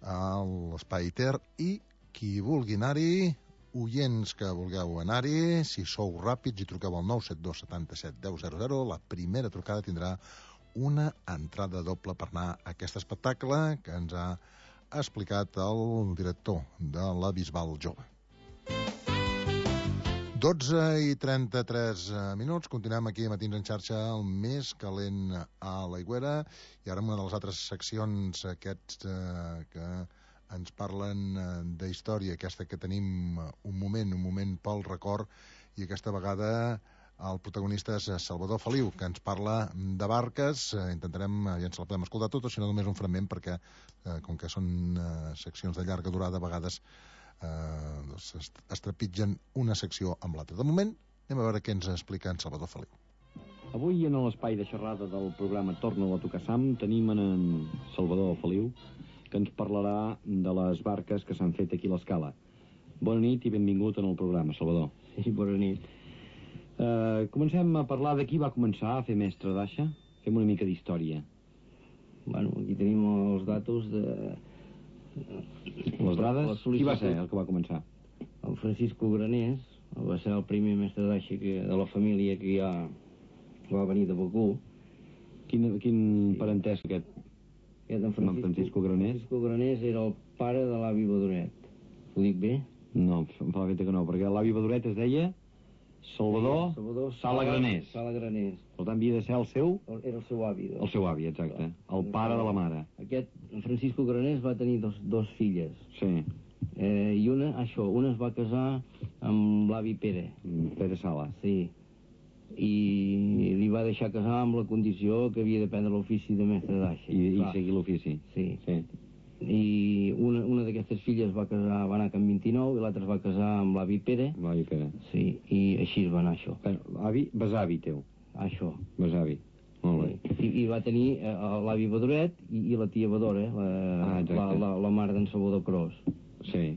a l'Espai Ter, i qui vulgui anar-hi, oients que vulgueu anar-hi, si sou ràpids i truqueu al nou set dos setanta-set deu zero zero, la primera trucada tindrà una entrada doble per anar a aquest espectacle que ens ha explicat el director de la Bisbal Jove. dotze i trenta-tres minuts, continuem aquí a Matins en xarxa, el més calent a l'Aigüera, i ara amb una de les altres seccions aquests eh, que ens parlen eh, d'història, aquesta que tenim un moment, un moment pel record, i aquesta vegada el protagonista és Salvador Feliu, que ens parla de barques. Eh, intentarem, ja ens la podem escoltar tot, o si no només un fragment, perquè eh, com que són eh, seccions de llarga durada, a vegades Eh, doncs es trepitgen una secció amb l'altra. De moment, anem a veure què ens explica en Salvador Feliu. Avui, en l'espai de xerrada del programa Torna a tocar Sam, tenim en Salvador Feliu, que ens parlarà de les barques que s'han fet aquí a l'Escala. Bona nit i benvingut en el programa, Salvador. Sí, bona nit. Eh, comencem a parlar de qui va començar a fer mestre d'aixa. Fem una mica d'història. Bueno, aquí tenim els datos de... Les dades? Qui va ser el que va començar? El Francisco Granés va ser el primer mestre d'aixa de la família que ja va venir de Begur. Quin, quin parentesc aquest? Aquest en Francisco, Francisco Granés? Francisco Granés era el pare de l'avi Badoret. Ho dic bé? No, em fa la feta que no, perquè l'avi Badoret es deia Salvador, sí, Salvador Sala Granés. Sala Granés. Per tant, havia de ser el seu... Era el seu avi. El seu avi, exacte. El pare de la mare. Aquest, Francisco Granés, va tenir dos, dos filles. Sí. Eh, I una, això, una es va casar amb l'avi Pere. Pere Sala. Sí. i li va deixar casar amb la condició que havia d'aprendre l'ofici de mestre d'aixa. I, i seguir l'ofici. Sí. Sí. I una, una d'aquestes filles va casar, va anar a Can vint-i-nou, i l'altra es va casar amb l'avi Pere. L'avi Pere. Sí, i així es va anar això. Però, avi, besavi teu. Això. Besavi. Molt bé. I, i va tenir eh, l'avi Badoret i, i la tia Badora, la, Ah, la, la, la mare d'en Salvador Cros. Sí.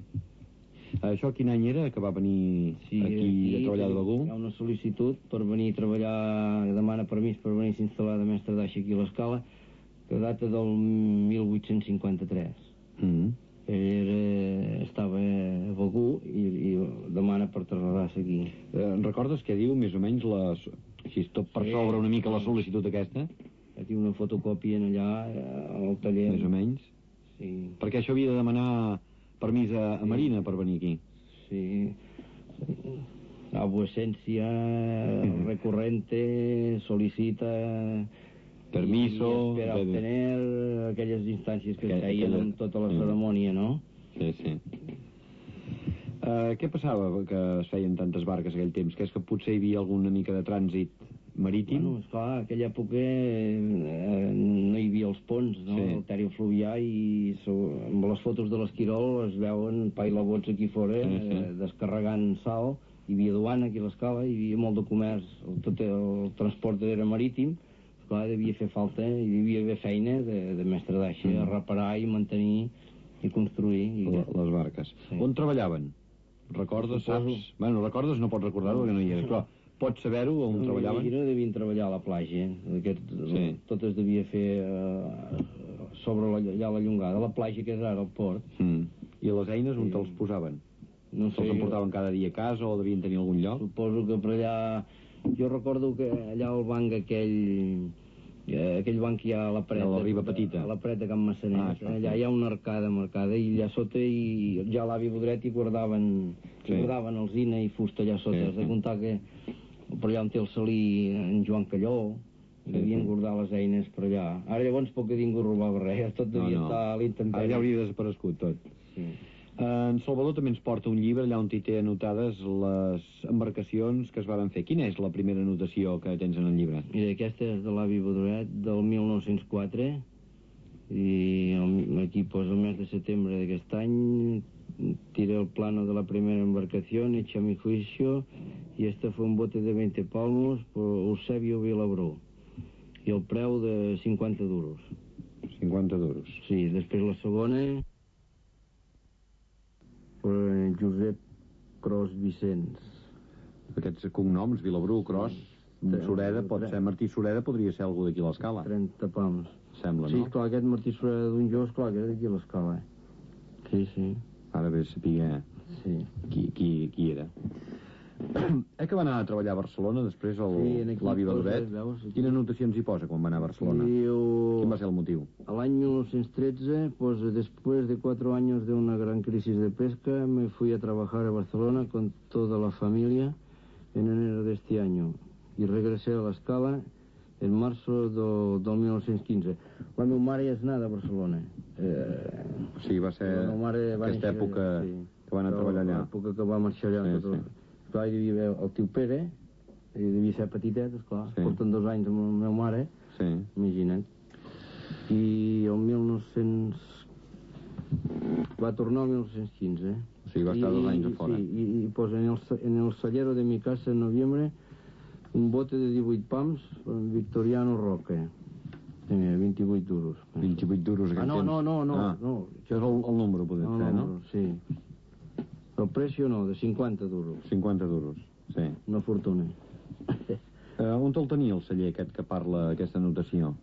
Això quin any era que va venir Sí, aquí, aquí a treballar de Begur? Hi ha una sol·licitud per venir a treballar, demana permís per venir a s'instal·lar de mestre d'aixa aquí a l'Escala, que data del mil vuit-cents cinquanta-tres. Mm. Ell era, estava a Begur i, i demana per traslladar-se aquí. Eh, recordes què diu, més o menys, les... així tot per Sí. sobre una mica la sol·licitud aquesta? Aquí una fotocòpia en allà, eh, al taller. Més o menys? Sí. Perquè això havia de demanar permís a, a Marina per venir aquí. Sí. Abuesencia recurrente solicita Permiso, i espera de- de- obtener aquelles instàncies que Aquella- es feien aquella- en tota la Mm. cerimònia, no? Sí, sí. Uh, què passava que es feien tantes barques aquell temps? Que és que potser hi havia alguna mica de trànsit marítim? Bueno, esclar, en aquella època eh, no hi havia els ponts, no? Sí. El Tèrio Fluvià, i so, amb les fotos de l'Esquirol es veuen pailabots aquí fora, Sí, sí. eh, descarregant sal. Hi havia duana aquí a l'Escala, hi havia molt de comerç, el, tot el transport era marítim. Esclar, devia fer falta, hi devia haver feina de, de mestre d'aixa, Mm. a reparar i mantenir i construir. I... La- Les barques. Sí. On treballaven? Recordes, Suposo. saps? Bueno, recordes, no pots recordar-ho perquè no hi eres, però pots saber-ho on No, treballaven? No devien treballar a la platja, eh? Aquest, Sí. tot es devia fer eh, sobre la, allà a la Llongada, la platja que és ara el port. Mm. I les eines on Sí. te'ls posaven? No sé, Se'ls emportaven cada dia a casa o devien tenir algun lloc? suposo que per allà... Jo recordo que allà al banc aquell... Eh, aquell banc que hi ha a la preta, A la Riba Petita. a la preta Can Massanet, Ah, això, allà sí. hi ha una arcada marcada i allà sota i ja a l'avi Bodret hi guardaven, Sí. hi guardaven alzina i fusta allà sota. Sí, Has de sí. comptar que per allà on té el salí en Joan Calló, Sí, devien sí. guardar les eines per allà. Ara llavors poc que ningú robava res, tot devia estar a l'intempèrie. Ara ja hauria desaparegut tot. Sí. En Salvador també ens porta un llibre allà on hi té anotades les embarcacions que es varen fer. Quina és la primera anotació que tens en el llibre? Mira, aquesta és de l'avi Bodret del mil nou-cents quatre i el- aquí posa el mes de setembre d'aquest any. Tiré el plano de la primera embarcación, hecha a mi juicio, y este fue un bote de veinte palmos por Eusebio Vilabró i el preu de cinquanta duros. cinquanta duros. Sí, després la segona per Josep Cros Vicenç. Aquests cognoms, Vilabrú, Cros, Sureda, pot ser Martí Sureda, podria ser algú d'aquí a l'Escala. trenta pams. Sembla, Sí, no? clar, aquest Martí Sureda d'un Jos, clar, que era d'aquí a l'Escala. Eh? Sí, sí, Ara bé saber sí. qui, qui, qui era. Eh que va anar a treballar a Barcelona després el, Sí, en aquí l'avi posa, Badoret? veus, aquí. Quines anotacions hi posa quan va anar a Barcelona? Diu, Quin va ser el motiu? al año mil novecientos trece, pues después de cuatro años de una gran crisis de pesca, me fui a trabajar a Barcelona con toda la familia en enero de este año y regresé a l'Escala en marzo do, del mil nou-cents quinze. La meva mare és nada a Barcelona. Eh, Sí, va ser la meva mare va aquesta néixer- època sí. que va anar a treballar allà. L'època que va marxar allà. Sí, tot, sí. Clar, hi devia haver el tio Pere, i devia ser petitet, esclar. Sí. Porten dos anys amb la meva mare, Sí. imagina't. I el mil nou-cents... va tornar el mil nou-cents quinze. O sigui, va estar dos anys a fora. Sí, i, i posa en el, en el cellero de mi casa en noviembre un bote de divuit pams amb Victoriano Roque. Tenia vint-i-vuit duros. vint-i-vuit duros aquell Ah, no, temps. no, no, no, Ah, no. això és el, el número, poder No, ser, no, no? sí. El precio no, de cinquanta duros. cinquanta duros, sí. Una fortuna. Uh, on te'l tenia el celler aquest que parla aquesta anotació?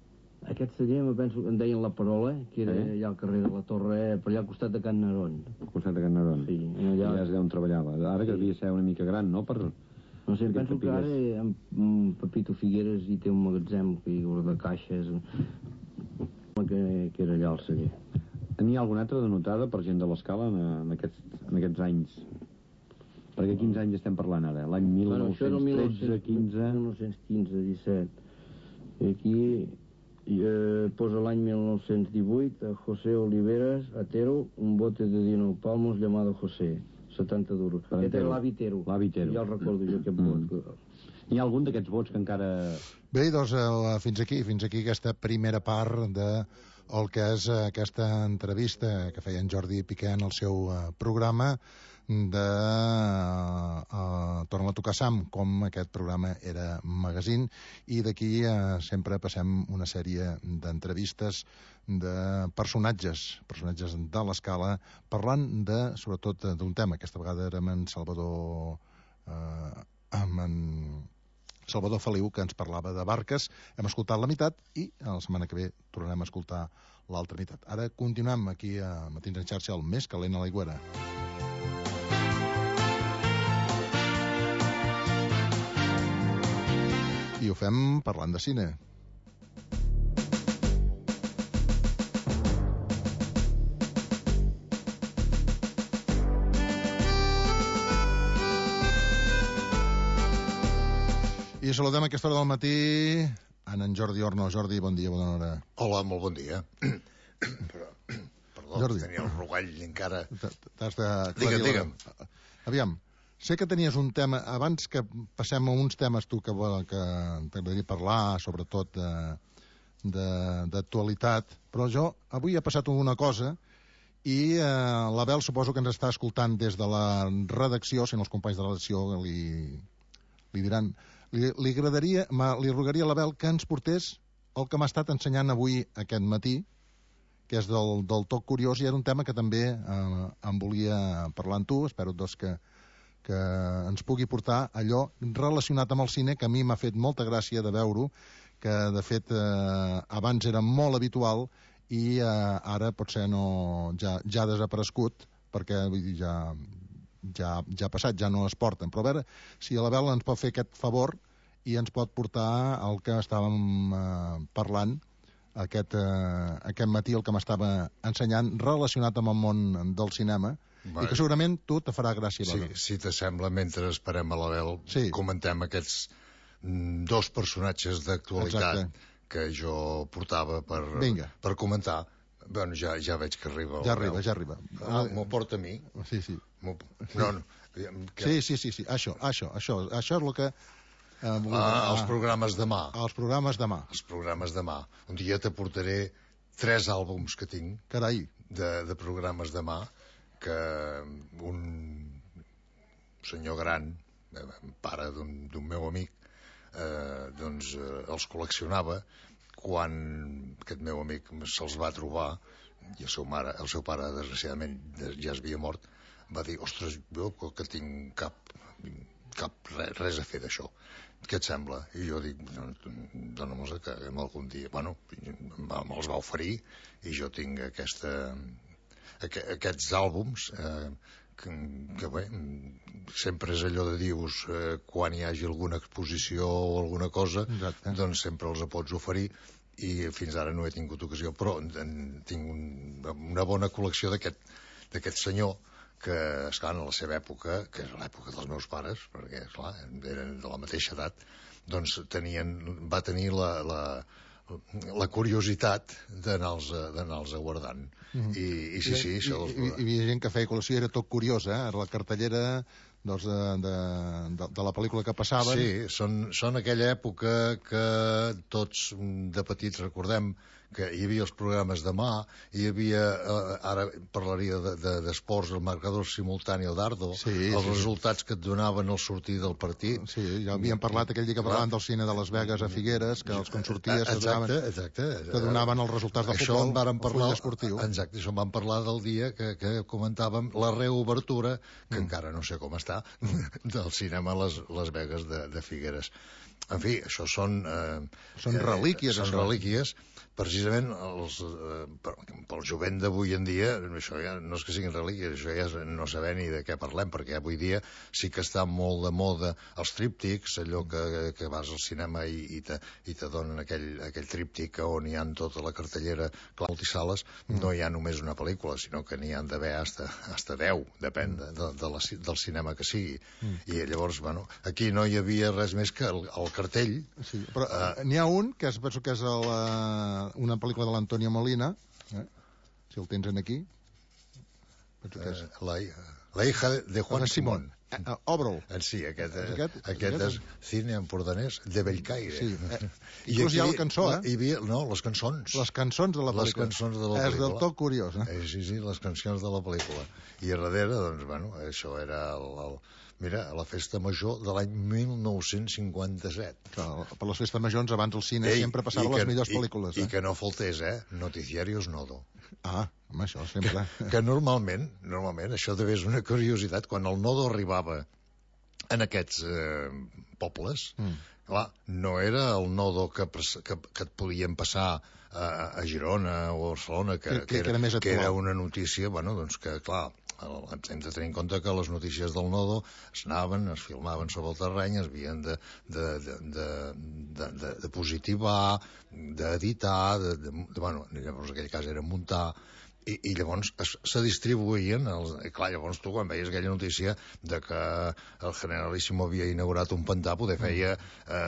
Aquest celler, me penso que en deien la Parola, que era Sí. allà al carrer de la Torre, per allà al costat de Can Narón. Al costat de Can Narón. Sí, Allà... allà... és d'on treballava. Ara que Sí. devia ser una mica gran, no? Per... No sé, perquè penso que ara sapigués. en, en Pepito Figueres hi té un magatzem que hi guarda caixes, que, que era allà el celler. N'hi ha alguna altra denotada per gent de l'Escala en, en, aquests, en aquests anys? Perquè quins anys estem parlant ara? L'any mil nou-cents tretze, quinze... mil nou-cents quinze, disset. I aquí eh, posa l'any mil nou-cents divuit a José Oliveras Atero, un bote de dinou palmos llamado José. setanta duros. Per Aquest era entero. l'Avitero. L'Avitero. Ja el recordo jo, aquest Mm. vot. Hi ha algun d'aquests vots que encara... Bé, doncs eh, fins aquí, fins aquí aquesta primera part de el que és eh, aquesta entrevista que feia en Jordi Piqué en el seu eh, programa de eh, eh, Torna a tocar Sam, com aquest programa era magazine, i d'aquí eh, sempre passem una sèrie d'entrevistes de personatges, personatges de l'escala, parlant de, sobretot, d'un tema. Aquesta vegada era amb en Salvador eh, amb en Salvador Feliu, que ens parlava de barques. Hem escoltat la meitat i la setmana que ve tornarem a escoltar l'altra meitat. Ara continuem aquí a Matins en xarxa, el més calent a l'Aigüera. I ho fem parlant de cine. I saludem a aquesta hora del matí en en Jordi Orno. Jordi, bon dia, bona hora. Hola, molt bon dia. Però, perdó, Jordi. tenia el rogall encara... T'has de... Digue'm, digue'm. Aviam, sé que tenies un tema... Abans que passem a uns temes tu que, que t'agradaria parlar, sobretot d'actualitat, però jo avui ha passat una cosa i eh, l'Abel suposo que ens està escoltant des de la redacció, si no els companys de la redacció li, li diran... Li, li agradaria, li rogaria a l'Abel que ens portés el que m'ha estat ensenyant avui aquest matí, que és del, del toc curiós, i era un tema que també eh, em volia parlar amb tu. Espero doncs, que, que ens pugui portar allò relacionat amb el cine, que a mi m'ha fet molta gràcia de veure-ho, que de fet eh, abans era molt habitual i eh, ara potser no, ja, ja ha desaparegut, perquè vull dir, ja... Ja, ja ha passat, ja no es porten, però a veure si l'Abel ens pot fer aquest favor i ens pot portar el que estàvem eh, parlant aquest, eh, aquest matí, el que m'estava ensenyant relacionat amb el món del cinema. Vai. I que segurament tu te farà gràcia. Sí, si t'assembla, mentre esperem a l'Abel, sí. Comentem aquests mm, dos personatges d'actualitat que jo portava per, per comentar. Bueno, ja, ja veig que arriba. Ja arriba, ja arriba. Ah, m'ho porta a mi? Sí, sí. No, no. Que... Sí, sí, sí, sí. Això, això, això, això és el que... Eh, ah, els programes demà. Els programes demà. Els programes demà. Un dia t'aportaré tres àlbums que tinc. Carai. De, de programes demà, que un senyor gran, pare d'un meu amic, eh, doncs eh, els col·leccionava. Quan aquest meu amic se'ls va trobar i el seu, mare, el seu pare, desgraciadament, ja es havia mort, va dir, ostres, jo que tinc cap, cap res, res a fer d'això. Què et sembla? I jo dic, dóna-me'ls que algun dia... Bueno, me'ls va oferir i jo tinc aquesta, aqu aquests àlbums eh, que, que bé, sempre és allò de dius, eh, quan hi hagi alguna exposició o alguna cosa, exacte, doncs sempre els pots oferir, i fins ara no he tingut ocasió, però en, tinc un, una bona col·lecció d'aquest senyor, que, esclar, en la seva època, que és l'època dels meus pares, perquè, esclar, eren de la mateixa edat, doncs tenien, va tenir la, la, la curiositat d'anar-los guardant. Mm. I, I sí, sí, això... I, i, i, hi havia gent que feia col·lecció, era tot curiós, eh? La cartellera doncs, de, de, de, de la pel·lícula que passaven. Sí, són, són aquella època que tots de petits recordem que hi havia els programes demà, hi havia, eh, ara parlaria d'esports, de, de, el marcador simultani, el dardo, sí, els sí, resultats que et donaven al sortir del partit. Sí, ja havíem parlat aquell dia que parlàvem del cine de Las Vegas a Figueres, que els consorties exacte, donaven, exacte, que donaven els resultats del això futbol, en parlar, esportiu. Exacte, això en vam parlar del dia que, que comentàvem la reobertura, que mm. encara no sé com està, del cinema a les, les Vegas de, de Figueres. En fi, això són... Eh, són relíquies. Eh, són això. relíquies. Precisament els, eh, per, pel jovent d'avui en dia, això ja no és que siguin relíquies, això ja és no saber ni de què parlem, perquè avui dia sí que està molt de moda els tríptics, allò que, que vas al cinema i, i, te, i te donen aquell, aquell tríptic on hi ha tota la cartellera, clar, multisales, mm. no hi ha només una pel·lícula, sinó que n'hi han d'haver hasta, hasta deu, depèn de, de, de la, del cinema que sigui. Mm. I llavors, bueno, aquí no hi havia res més que el, el cartell. Sí, però uh, n'hi ha un, que és, penso que és el... Uh... una pel·lícula de l'Antonio Molina, eh? Si el tens en aquí. Eh, la, La hija de Juan Simón. Eh, eh, Obre'l. Eh, Sí, aquest, eh, Aquest- aquest és aquest- cine empordanès de Bellcaire. Sí, eh, I inclús hi ha aquí la cançó, la- eh? Hi havia, no, les cançons. Les cançons de la Les pel·lícula. cançons de la És pel·lícula. del tot curiós, eh? Eh, sí, sí, les cancions de la pel·lícula. I a darrere, doncs, bueno, això era el, el, mira, la festa major de l'any mil nou-cents cinquanta-set. Clar, per les festes majors, abans al cine Ei, sempre passaven i que- les millors i- pel·lícules. I, Eh? que no faltés, eh? Noticiarios Nodo. Ah, home, això sempre... Que normalment, normalment, això també és una curiositat, quan el Nodo arribava en aquests eh, pobles, Mm. clar, no era el Nodo que, pres- que, que et podien passar a, a Girona o a Barcelona, que, Que- que- que era més que actual. era una notícia, bueno, doncs que, clar, el- hem de tenir en compte que les notícies del Nodo es anaven, es filmaven sobre el terreny, es havien de, de, de, de, de, de, de positivar, d'editar, de, de, de, bueno, llavors en aquell cas era muntar, i, i llavors es, se distribuïen els, i clar, llavors tu quan veies aquella notícia de que el Generalíssimo havia inaugurat un pantà, poder feia eh,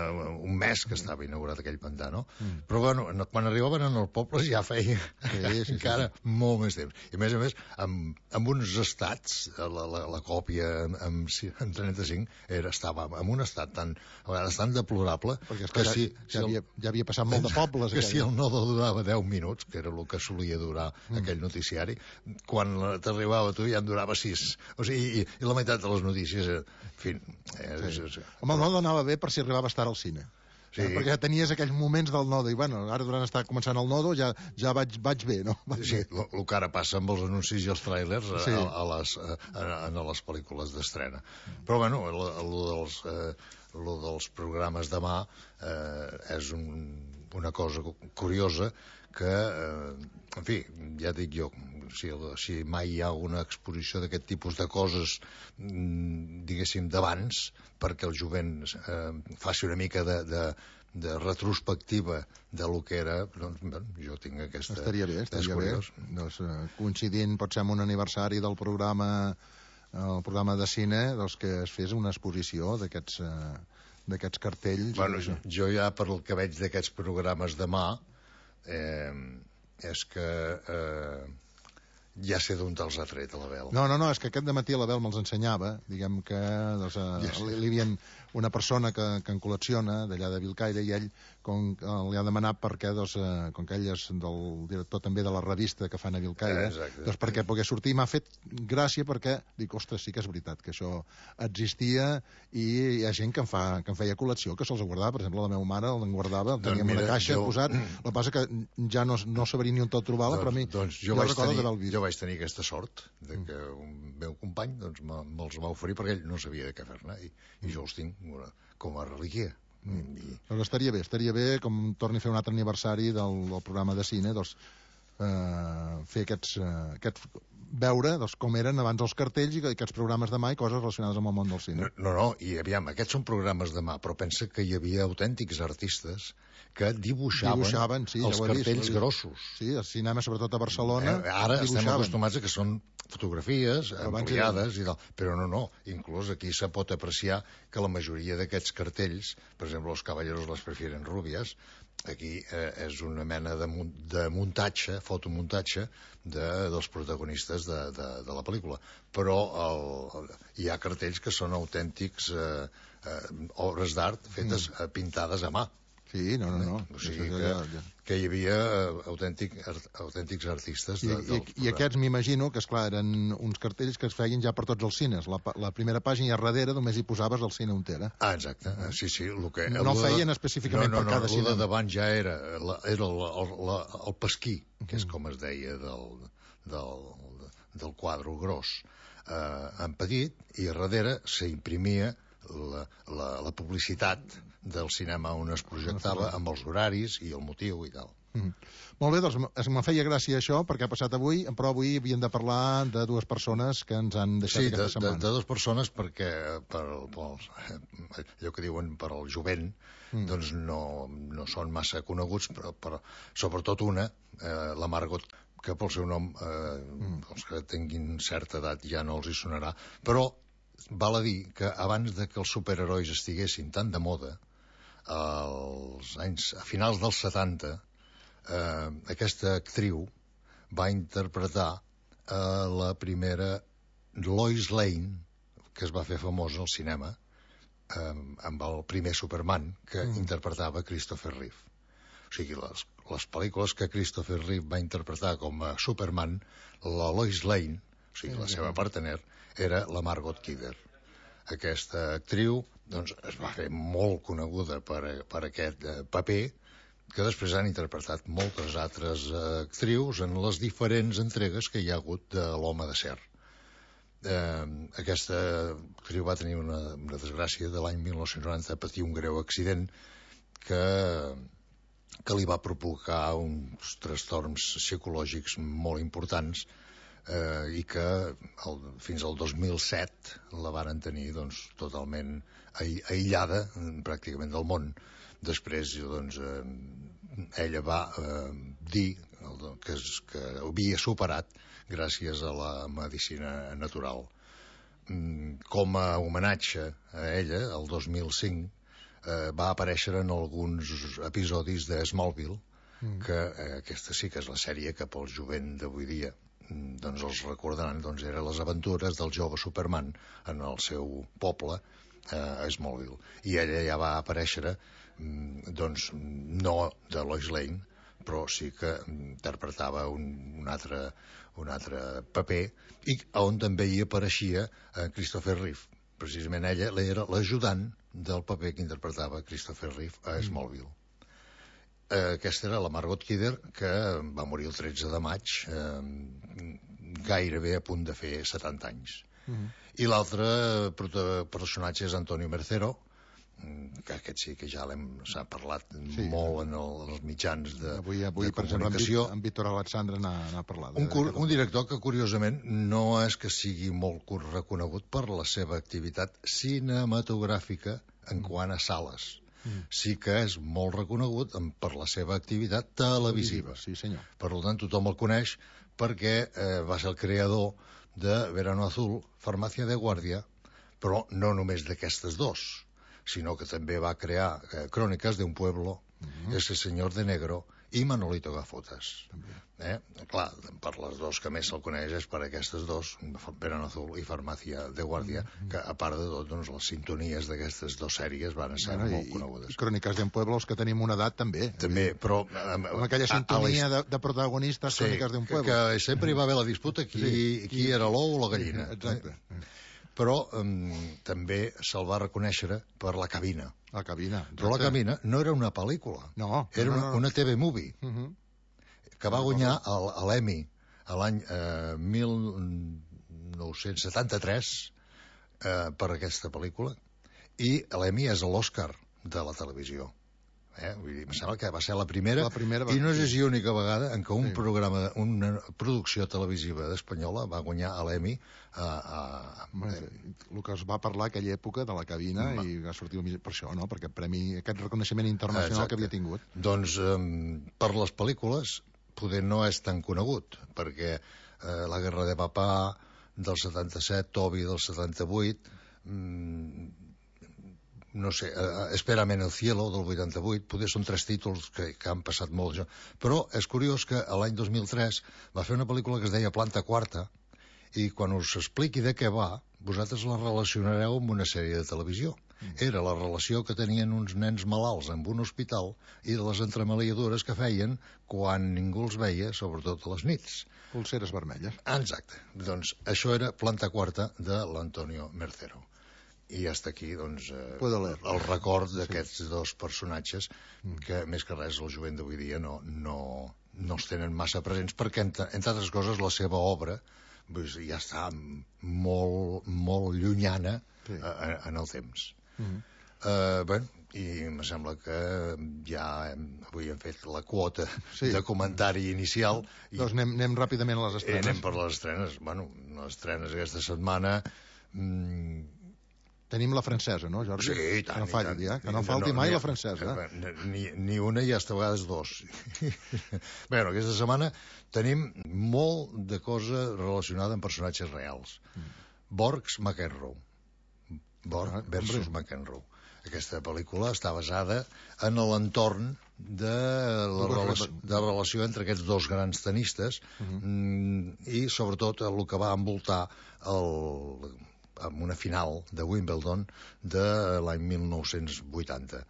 un mes que estava inaugurat aquell pantà, no? Mm. Però bueno, en- quan arribaven en els pobles ja feia Sí, sí, sí, encara molt més temps, i a més a més amb, amb uns estats, la, la, la còpia amb, amb, si- amb trenta-cinc era, estava en un estat tan, a vegades tan deplorable Perquè que esclar, si, ja, si ja, el, havia, ja havia passat molt de pobles. que aquell. si el Nodo durava deu minuts, que era el que solia durar mm. aquell noticiari, quan t'arribava tu ja en durava sis. O sigui, i, i la meitat de les notícies, eh, en fi... Eh, Sí. sí. Home, el Nodo anava bé per si arribaves tard al cine. Sí. Eh, perquè ja tenies aquells moments del Nodo, i bueno, ara durant estar començant el Nodo ja, ja vaig, vaig bé, no? Vaig Sí, bé. el que ara passa amb els anuncis i els tràilers a, Sí. a, a, les, a, a, a les pel·lícules d'estrena. Però, bueno, el, el, dels, eh, el dels programes demà eh, és un, una cosa curiosa que, eh, en fi, ja dic jo, si, si mai hi ha una exposició d'aquest tipus de coses, mm, diguéssim, d'abans, perquè el jovent eh, faci una mica de, de, de retrospectiva de lo que era, doncs, bueno, jo tinc aquesta... Estaria bé, estaria és bé. curiós. Doncs, eh, coincidint, pot ser amb un aniversari del programa, el programa de cine, doncs que es fes una exposició d'aquests eh, d'aquests cartells. Bueno, i això. jo ja, per el que veig d'aquests programes demà, eh, és que eh, ja sé d'on te'ls ha tret, a l'Abel. No, no, no, és que aquest dematí l'Abel me'ls ensenyava, diguem que doncs, eh, Ja sé. li, li havien una persona que, que en col·lecciona d'allà de Vilcaire, i ell com, eh, li ha demanat perquè, doncs, eh, com que ell és del director també de la revista que fan a Vilcaire, Eh, exacte. doncs perquè pogués sortir, m'ha fet gràcia perquè dic, ostres, sí que és veritat que això existia, i hi ha gent que en, fa, que en feia col·lecció, que se'ls guardava, per exemple la meva mare el guardava, el Doncs tenia en mira, una caixa jo- posat, el que passa que ja no, no sabria ni on tot trobar-la, però a mi doncs jo, jo vaig recordo tenir, d'haver vist. jo vaig tenir aquesta sort de que un meu company doncs, me- me'ls va oferir perquè ell no sabia de què fer-ne, i, i jo els tinc una- com a relíquia. Mm. I, Doncs estaria bé, estaria bé, com torni a fer un altre aniversari del, del programa de cine, doncs, eh, fer aquests, eh, aquests veure doncs, com eren abans els cartells i aquests programes de mà i coses relacionades amb el món del cine. no, no, i aviam, aquests són programes demà, però pensa que hi havia autèntics artistes que dibuixaven, Dibuixaven, sí, ja els ho he vist, cartells ho he vist. grossos. Sí, al cinema, sobretot a Barcelona, Eh, ara estem dibuixaven. acostumats a que són fotografies Abans ampliades i tal, però no, no, inclús aquí se pot apreciar que la majoria d'aquests cartells, per exemple, els caballeros les prefieren rubies, aquí eh, és una mena de, mun de muntatge, fotomuntatge de, dels protagonistes de, de, de la pel·lícula, però el, el, hi ha cartells que són autèntics eh, eh, obres d'art fetes, mm. pintades a mà. Sí, no, no, no. O sigui Això que, ja- ja- que hi havia eh, autèntic, art, autèntics artistes I, de, i, del I programa. aquests m'imagino que, esclar, eren uns cartells que es feien ja per tots els cines. La, pa- la primera pàgina i a darrere només hi posaves el cine on era. Ah, exacte, ah, sí, sí. El que, No el de- feien específicament no, no, per cada no, el cinema. de davant ja era, la, era el, el, la, el pesquí, que és com es deia del, del, del quadre gros, eh, en petit, i a darrere s'imprimia la, la, la publicitat del cinema on es projectava amb els horaris i el motiu i tal. Mm. Molt bé, doncs es- me feia gràcia això perquè ha passat avui, però avui havíem de parlar de dues persones que ens han deixat Sí, de, aquesta de, setmana. de dues persones perquè per, per, allò que diuen per al jovent mm. doncs no, no són massa coneguts, però, però sobretot una, eh, la Margot, que pel seu nom eh, mm. els que tinguin certa edat ja no els hi sonarà, però val a dir que abans de que els superherois estiguessin tan de moda, als anys, a finals dels setanta, eh, aquesta actriu va interpretar eh, la primera Lois Lane, que es va fer famosa al cinema eh, amb el primer Superman que mm. interpretava Christopher Reeve. O sigui, les, les pel·lícules que Christopher Reeve va interpretar com a Superman, la Lois Lane, o sigui, la seva partener, era la Margot Kidder. Aquesta actriu doncs, es va fer molt coneguda per, per aquest eh, paper, que després han interpretat moltes altres eh, actrius en les diferents entregues que hi ha hagut de l'Home d'acer. Eh, aquesta actriu va tenir una, una desgràcia de l'any mil nou-cents noranta, patir un greu accident que, que li va provocar uns trastorns psicològics molt importants eh, i que el, fins al dos mil set la varen tenir doncs, totalment aïllada pràcticament del món. Després doncs, eh, ella va eh, dir que, es, que havia superat gràcies a la medicina natural. Com a homenatge a ella, el dos mil cinc, eh, va aparèixer en alguns episodis de Smallville, mm. que eh, aquesta sí que és la sèrie que pel jovent d'avui dia doncs els recordaran, doncs eren les aventures del jove Superman en el seu poble, eh, a Smallville. I ella ja va aparèixer doncs no de Lois Lane, però sí que interpretava un, un, altre, un altre paper, i on també hi apareixia eh, Christopher Reeve. Precisament ella era l'ajudant del paper que interpretava Christopher Reeve a Smallville. Eh, aquesta era la Margot Kidder, que va morir el tretze de maig, eh, gairebé a punt de fer setanta anys. Mm-hmm. I l'altre personatge és Antonio Mercero, que aquest sí que ja s'ha parlat sí, molt en, el, en els mitjans de, avui, avui, de per comunicació. Exemple, en Víctor Alexandre n'ha parlat. Un, cur, un director que, curiosament, no és que sigui molt reconegut per la seva activitat cinematogràfica en quant a sales. Mm. Sí que és molt reconegut per la seva activitat televisiva. Sí, senyor. Per tant, tothom el coneix perquè eh, va ser el creador de Verano Azul, Farmacia de Guardia, però no només d'aquestes dos, sinó que també va crear eh, Cròniques d'un pueblo, uh-huh. Ese señor de negro i Manolito Gafotas. Eh? Clar, per les dos que més se'l coneix és per aquestes dos, Verano Azul i Farmacia de Guardia, uh-huh. que a part de tot, doncs, les sintonies d'aquestes dues sèries van ser bueno, molt i, conegudes. I Cròniques d'un pueblo, els que tenim una edat, també. També, però... Amb, amb aquella sintonia a, a de, de protagonistes, sí, Cròniques d'un pueblo. Que sempre hi va haver la disputa qui, sí, qui, qui era l'ou o la gallina. Exacte. Eh? Però um, també se'l va reconèixer per La cabina. La cabina. Exacte. Però La cabina no era una pel·lícula, no, era no, no, una, no. una T V movie, uh-huh. que va guanyar l'Emmy l'any eh, mil nou-cents setanta-tres eh, per aquesta pel·lícula, i l'Emmy és l'Oscar de la televisió. Eh? Vull dir, em sembla que va ser la primera, la primera va... i no és l'única vegada en què un sí. programa, una producció televisiva espanyola va guanyar l'Emmy a, a... el que es va parlar aquella època de La cabina Ma... i va sortir per això, no? Perquè premi, aquest reconeixement internacional Exacte. Que havia tingut. Doncs um, per les pel·lícules poder no és tan conegut, perquè eh, La guerra de papà del setanta-set, Toby del setanta-vuit, mm, no sé, uh, Espérame en el cielo del vuitanta-vuit, poder són tres títols que, que han passat molt jo. Però és curiós que l'any dos mil tres va fer una pel·lícula que es deia Planta Quarta, i quan us expliqui de què va, vosaltres la relacionareu amb una sèrie de televisió. Mm. Era la relació que tenien uns nens malalts en un hospital i de les entremaliadures que feien quan ningú els veia, sobretot a les nits. Pulseres vermelles. Exacte. Doncs això era Planta Quarta de l'Antonio Mercero. I hasta aquí, doncs, eh, el record d'aquests sí. dos personatges que, més que res, el jovent d'avui dia no, no, no els tenen massa presents, perquè, entre, entre altres coses, la seva obra doncs, ja està molt, molt llunyana sí. a, en el temps. Mm-hmm. eh, bé, i em sembla que ja hem, avui hem fet la quota sí. de comentari inicial. I, doncs anem, anem ràpidament a les estrenes. Anem per les estrenes. Bueno, les estrenes aquesta setmana... Mm, tenim la francesa, no, Jordi? Sí, tant, que no falli, tant. Ja? Que no falti no, mai ni, la francesa. Ni, ni una i hasta vegades dos. Bé, aquesta setmana tenim molt de cosa relacionada amb personatges reals. Mm. Borgs McEnroe. Borg versus McEnroe. Aquesta pel·lícula està basada en l'entorn de la relació, de la relació entre aquests dos grans tenistes uh-huh. i sobretot el que va envoltar el, amb una final de Wimbledon de l'any mil nou-cents vuitanta.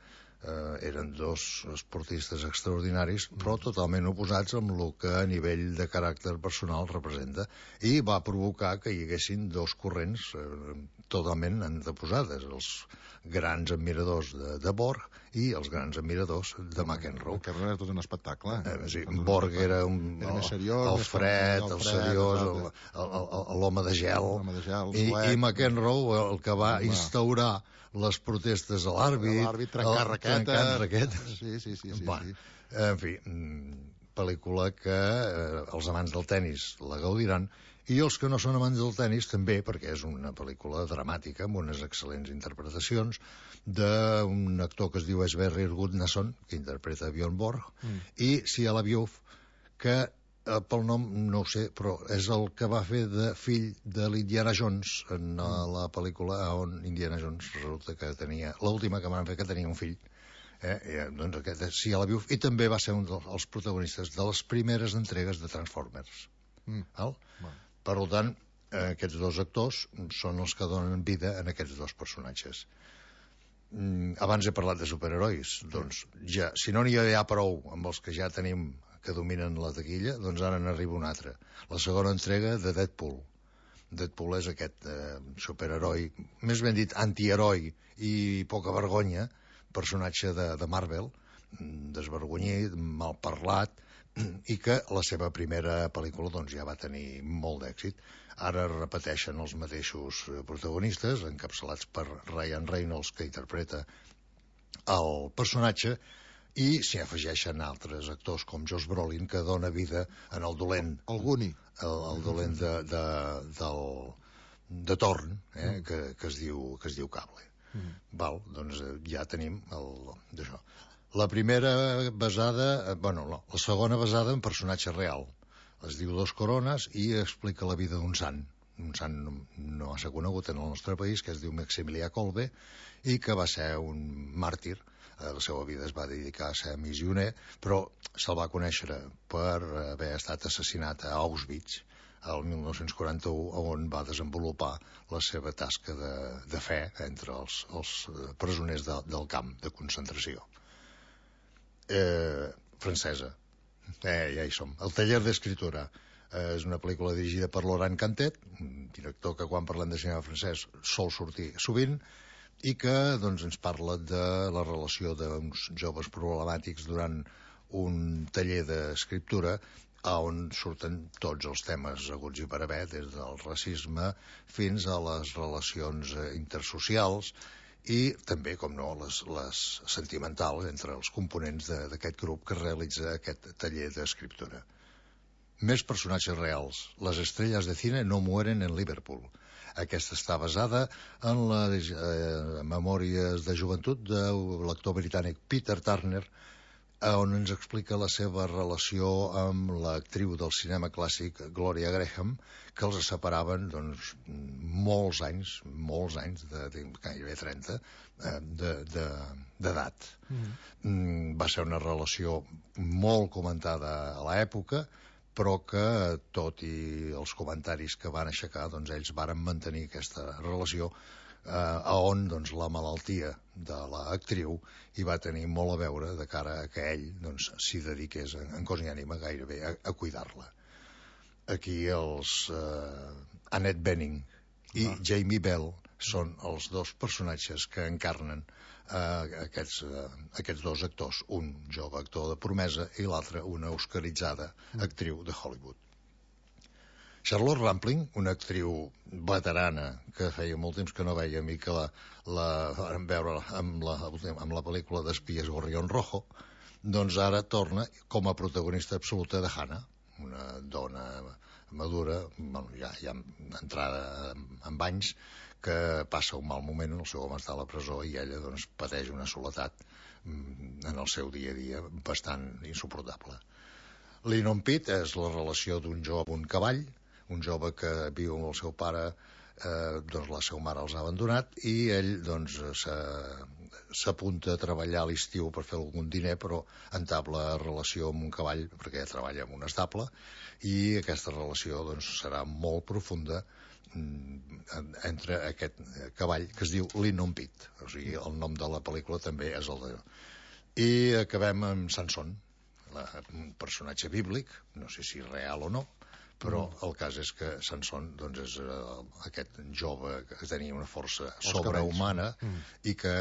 Eh, eren dos esportistes extraordinaris, però totalment oposats amb el que a nivell de caràcter personal representa, i va provocar que hi haguessin dos corrents eh, totalment anteposades, els grans admiradors de, de Borg i els grans admiradors de McEnroe. McEnroe era tot un espectacle. Eh, sí, Borg era un, era més seriós, el fred, el, el seriós, l'home de gel, de gel i, i McEnroe el que va instaurar les protestes a l'àrbit, l'àrbit trencant raquetes. Trencant raquetes. Sí, sí, sí. sí, bueno, sí. En fi, pel·lícula que eh, els amants del tennis la gaudiran, i els que no són amants del tennis també, perquè és una pel·lícula dramàtica amb unes excel·lents interpretacions d'un actor que es diu Sverrir Gudnason, que interpreta Björn Borg, mm. i Shia LaBeouf, que eh, pel nom no ho sé, però és el que va fer de fill de l'Indiana Jones en mm. la pel·lícula on Indiana Jones resulta que tenia, l'última que van fer que tenia un fill. Eh, eh, doncs aquest és Shia LaBeouf, i també va ser un dels protagonistes de les primeres entregues de Transformers. Mm. Val? Bueno. Per tant, eh, aquests dos actors són els que donen vida en aquests dos personatges. Mm, abans he parlat de superherois. Doncs ja, si no n'hi ha prou amb els que ja tenim que dominen la taquilla, doncs ara n'arriba un altre. La segona entrega de Deadpool. Deadpool és aquest eh, superheroi, més ben dit antiheroi i poca vergonya, personatge de, de Marvel, desvergonyit, mal parlat, i que la seva primera pel·lícula doncs, ja va tenir molt d'èxit. Ara repeteixen els mateixos protagonistes, encapçalats per Ryan Reynolds, que interpreta el personatge, i s'hi afegeixen altres actors com Josh Brolin, que dona vida en el dolent, el Guni, el, el dolent de, de, del, de Torn, eh, mm. que, que, es diu, que es diu Cable. Mm. Val, doncs ja tenim el, d'això. La primera basada, bueno, no, la segona basada en personatge real. Es diu Dos Corones i explica la vida d'un sant. Un sant no, no massa conegut en el nostre país, que es diu Maximilià Kolbe, i que va ser un màrtir. A la seva vida es va dedicar a ser missioner, però se'l va conèixer per haver estat assassinat a Auschwitz el mil nou-cents quaranta-u, on va desenvolupar la seva tasca de, de fe entre els, els presoners de, del camp de concentració. Eh, francesa. Eh, ja hi som. El taller d'escriptura eh, és una pel·lícula dirigida per Laurent Cantet, un director que quan parlem de cinema francès sol sortir sovint, i que doncs, ens parla de la relació d'uns joves problemàtics durant un taller d'escriptura on surten tots els temes haguts i per haver, des del racisme fins a les relacions intersocials, i també, com no, les, les sentimentals entre els components d'aquest grup que realitza aquest taller d'escriptura. Més personatges reals. Les estrelles de cine no mueren en Liverpool. Aquesta està basada en les eh, memòries de joventut de l'actor britànic Peter Turner, on ens explica la seva relació amb l'actriu del cinema clàssic Gloria Graham, que els separaven doncs, molts anys, molts anys, de, de gairebé trenta, d'edat. De, de, mm. Va ser una relació molt comentada a l'època, però que, tot i els comentaris que van aixecar, doncs ells varen mantenir aquesta relació, eh, on doncs, la malaltia de l'actriu hi va tenir molt a veure de cara a que ell doncs, s'hi dediqués en, en cos i ànima gairebé a, a cuidar-la. Aquí els eh, Annette Bening i ah. Jamie Bell són els dos personatges que encarnen eh, aquests, eh, aquests dos actors, un jove actor de promesa i l'altre una oscaritzada actriu de Hollywood. Charlotte Rampling, una actriu veterana que feia molt temps que no vèiem i que la, la vam veure amb la, amb la pel·lícula d'espies Gorrión Rojo, doncs ara torna com a protagonista absoluta de Hannah, una dona madura, bueno, ja, ja entrada en anys, que passa un mal moment, el seu home està a la presó i ella doncs, pateix una soledat en el seu dia a dia bastant insuportable. Linon Pitt és la relació d'un jove amb un cavall, un jove que viu amb el seu pare eh, doncs la seva mare els ha abandonat i ell doncs s'apunta a treballar a l'estiu per fer algun diner, però entabla relació amb un cavall, perquè treballa en un estable, i aquesta relació doncs serà molt profunda entre aquest cavall que es diu Linon Pit, o sigui, el nom de la pel·lícula també és el de... I acabem amb Sansón, un personatge bíblic, no sé si real o no, però el cas és que Sansón doncs, és uh, aquest jove que tenia una força sobrehumana mm. i que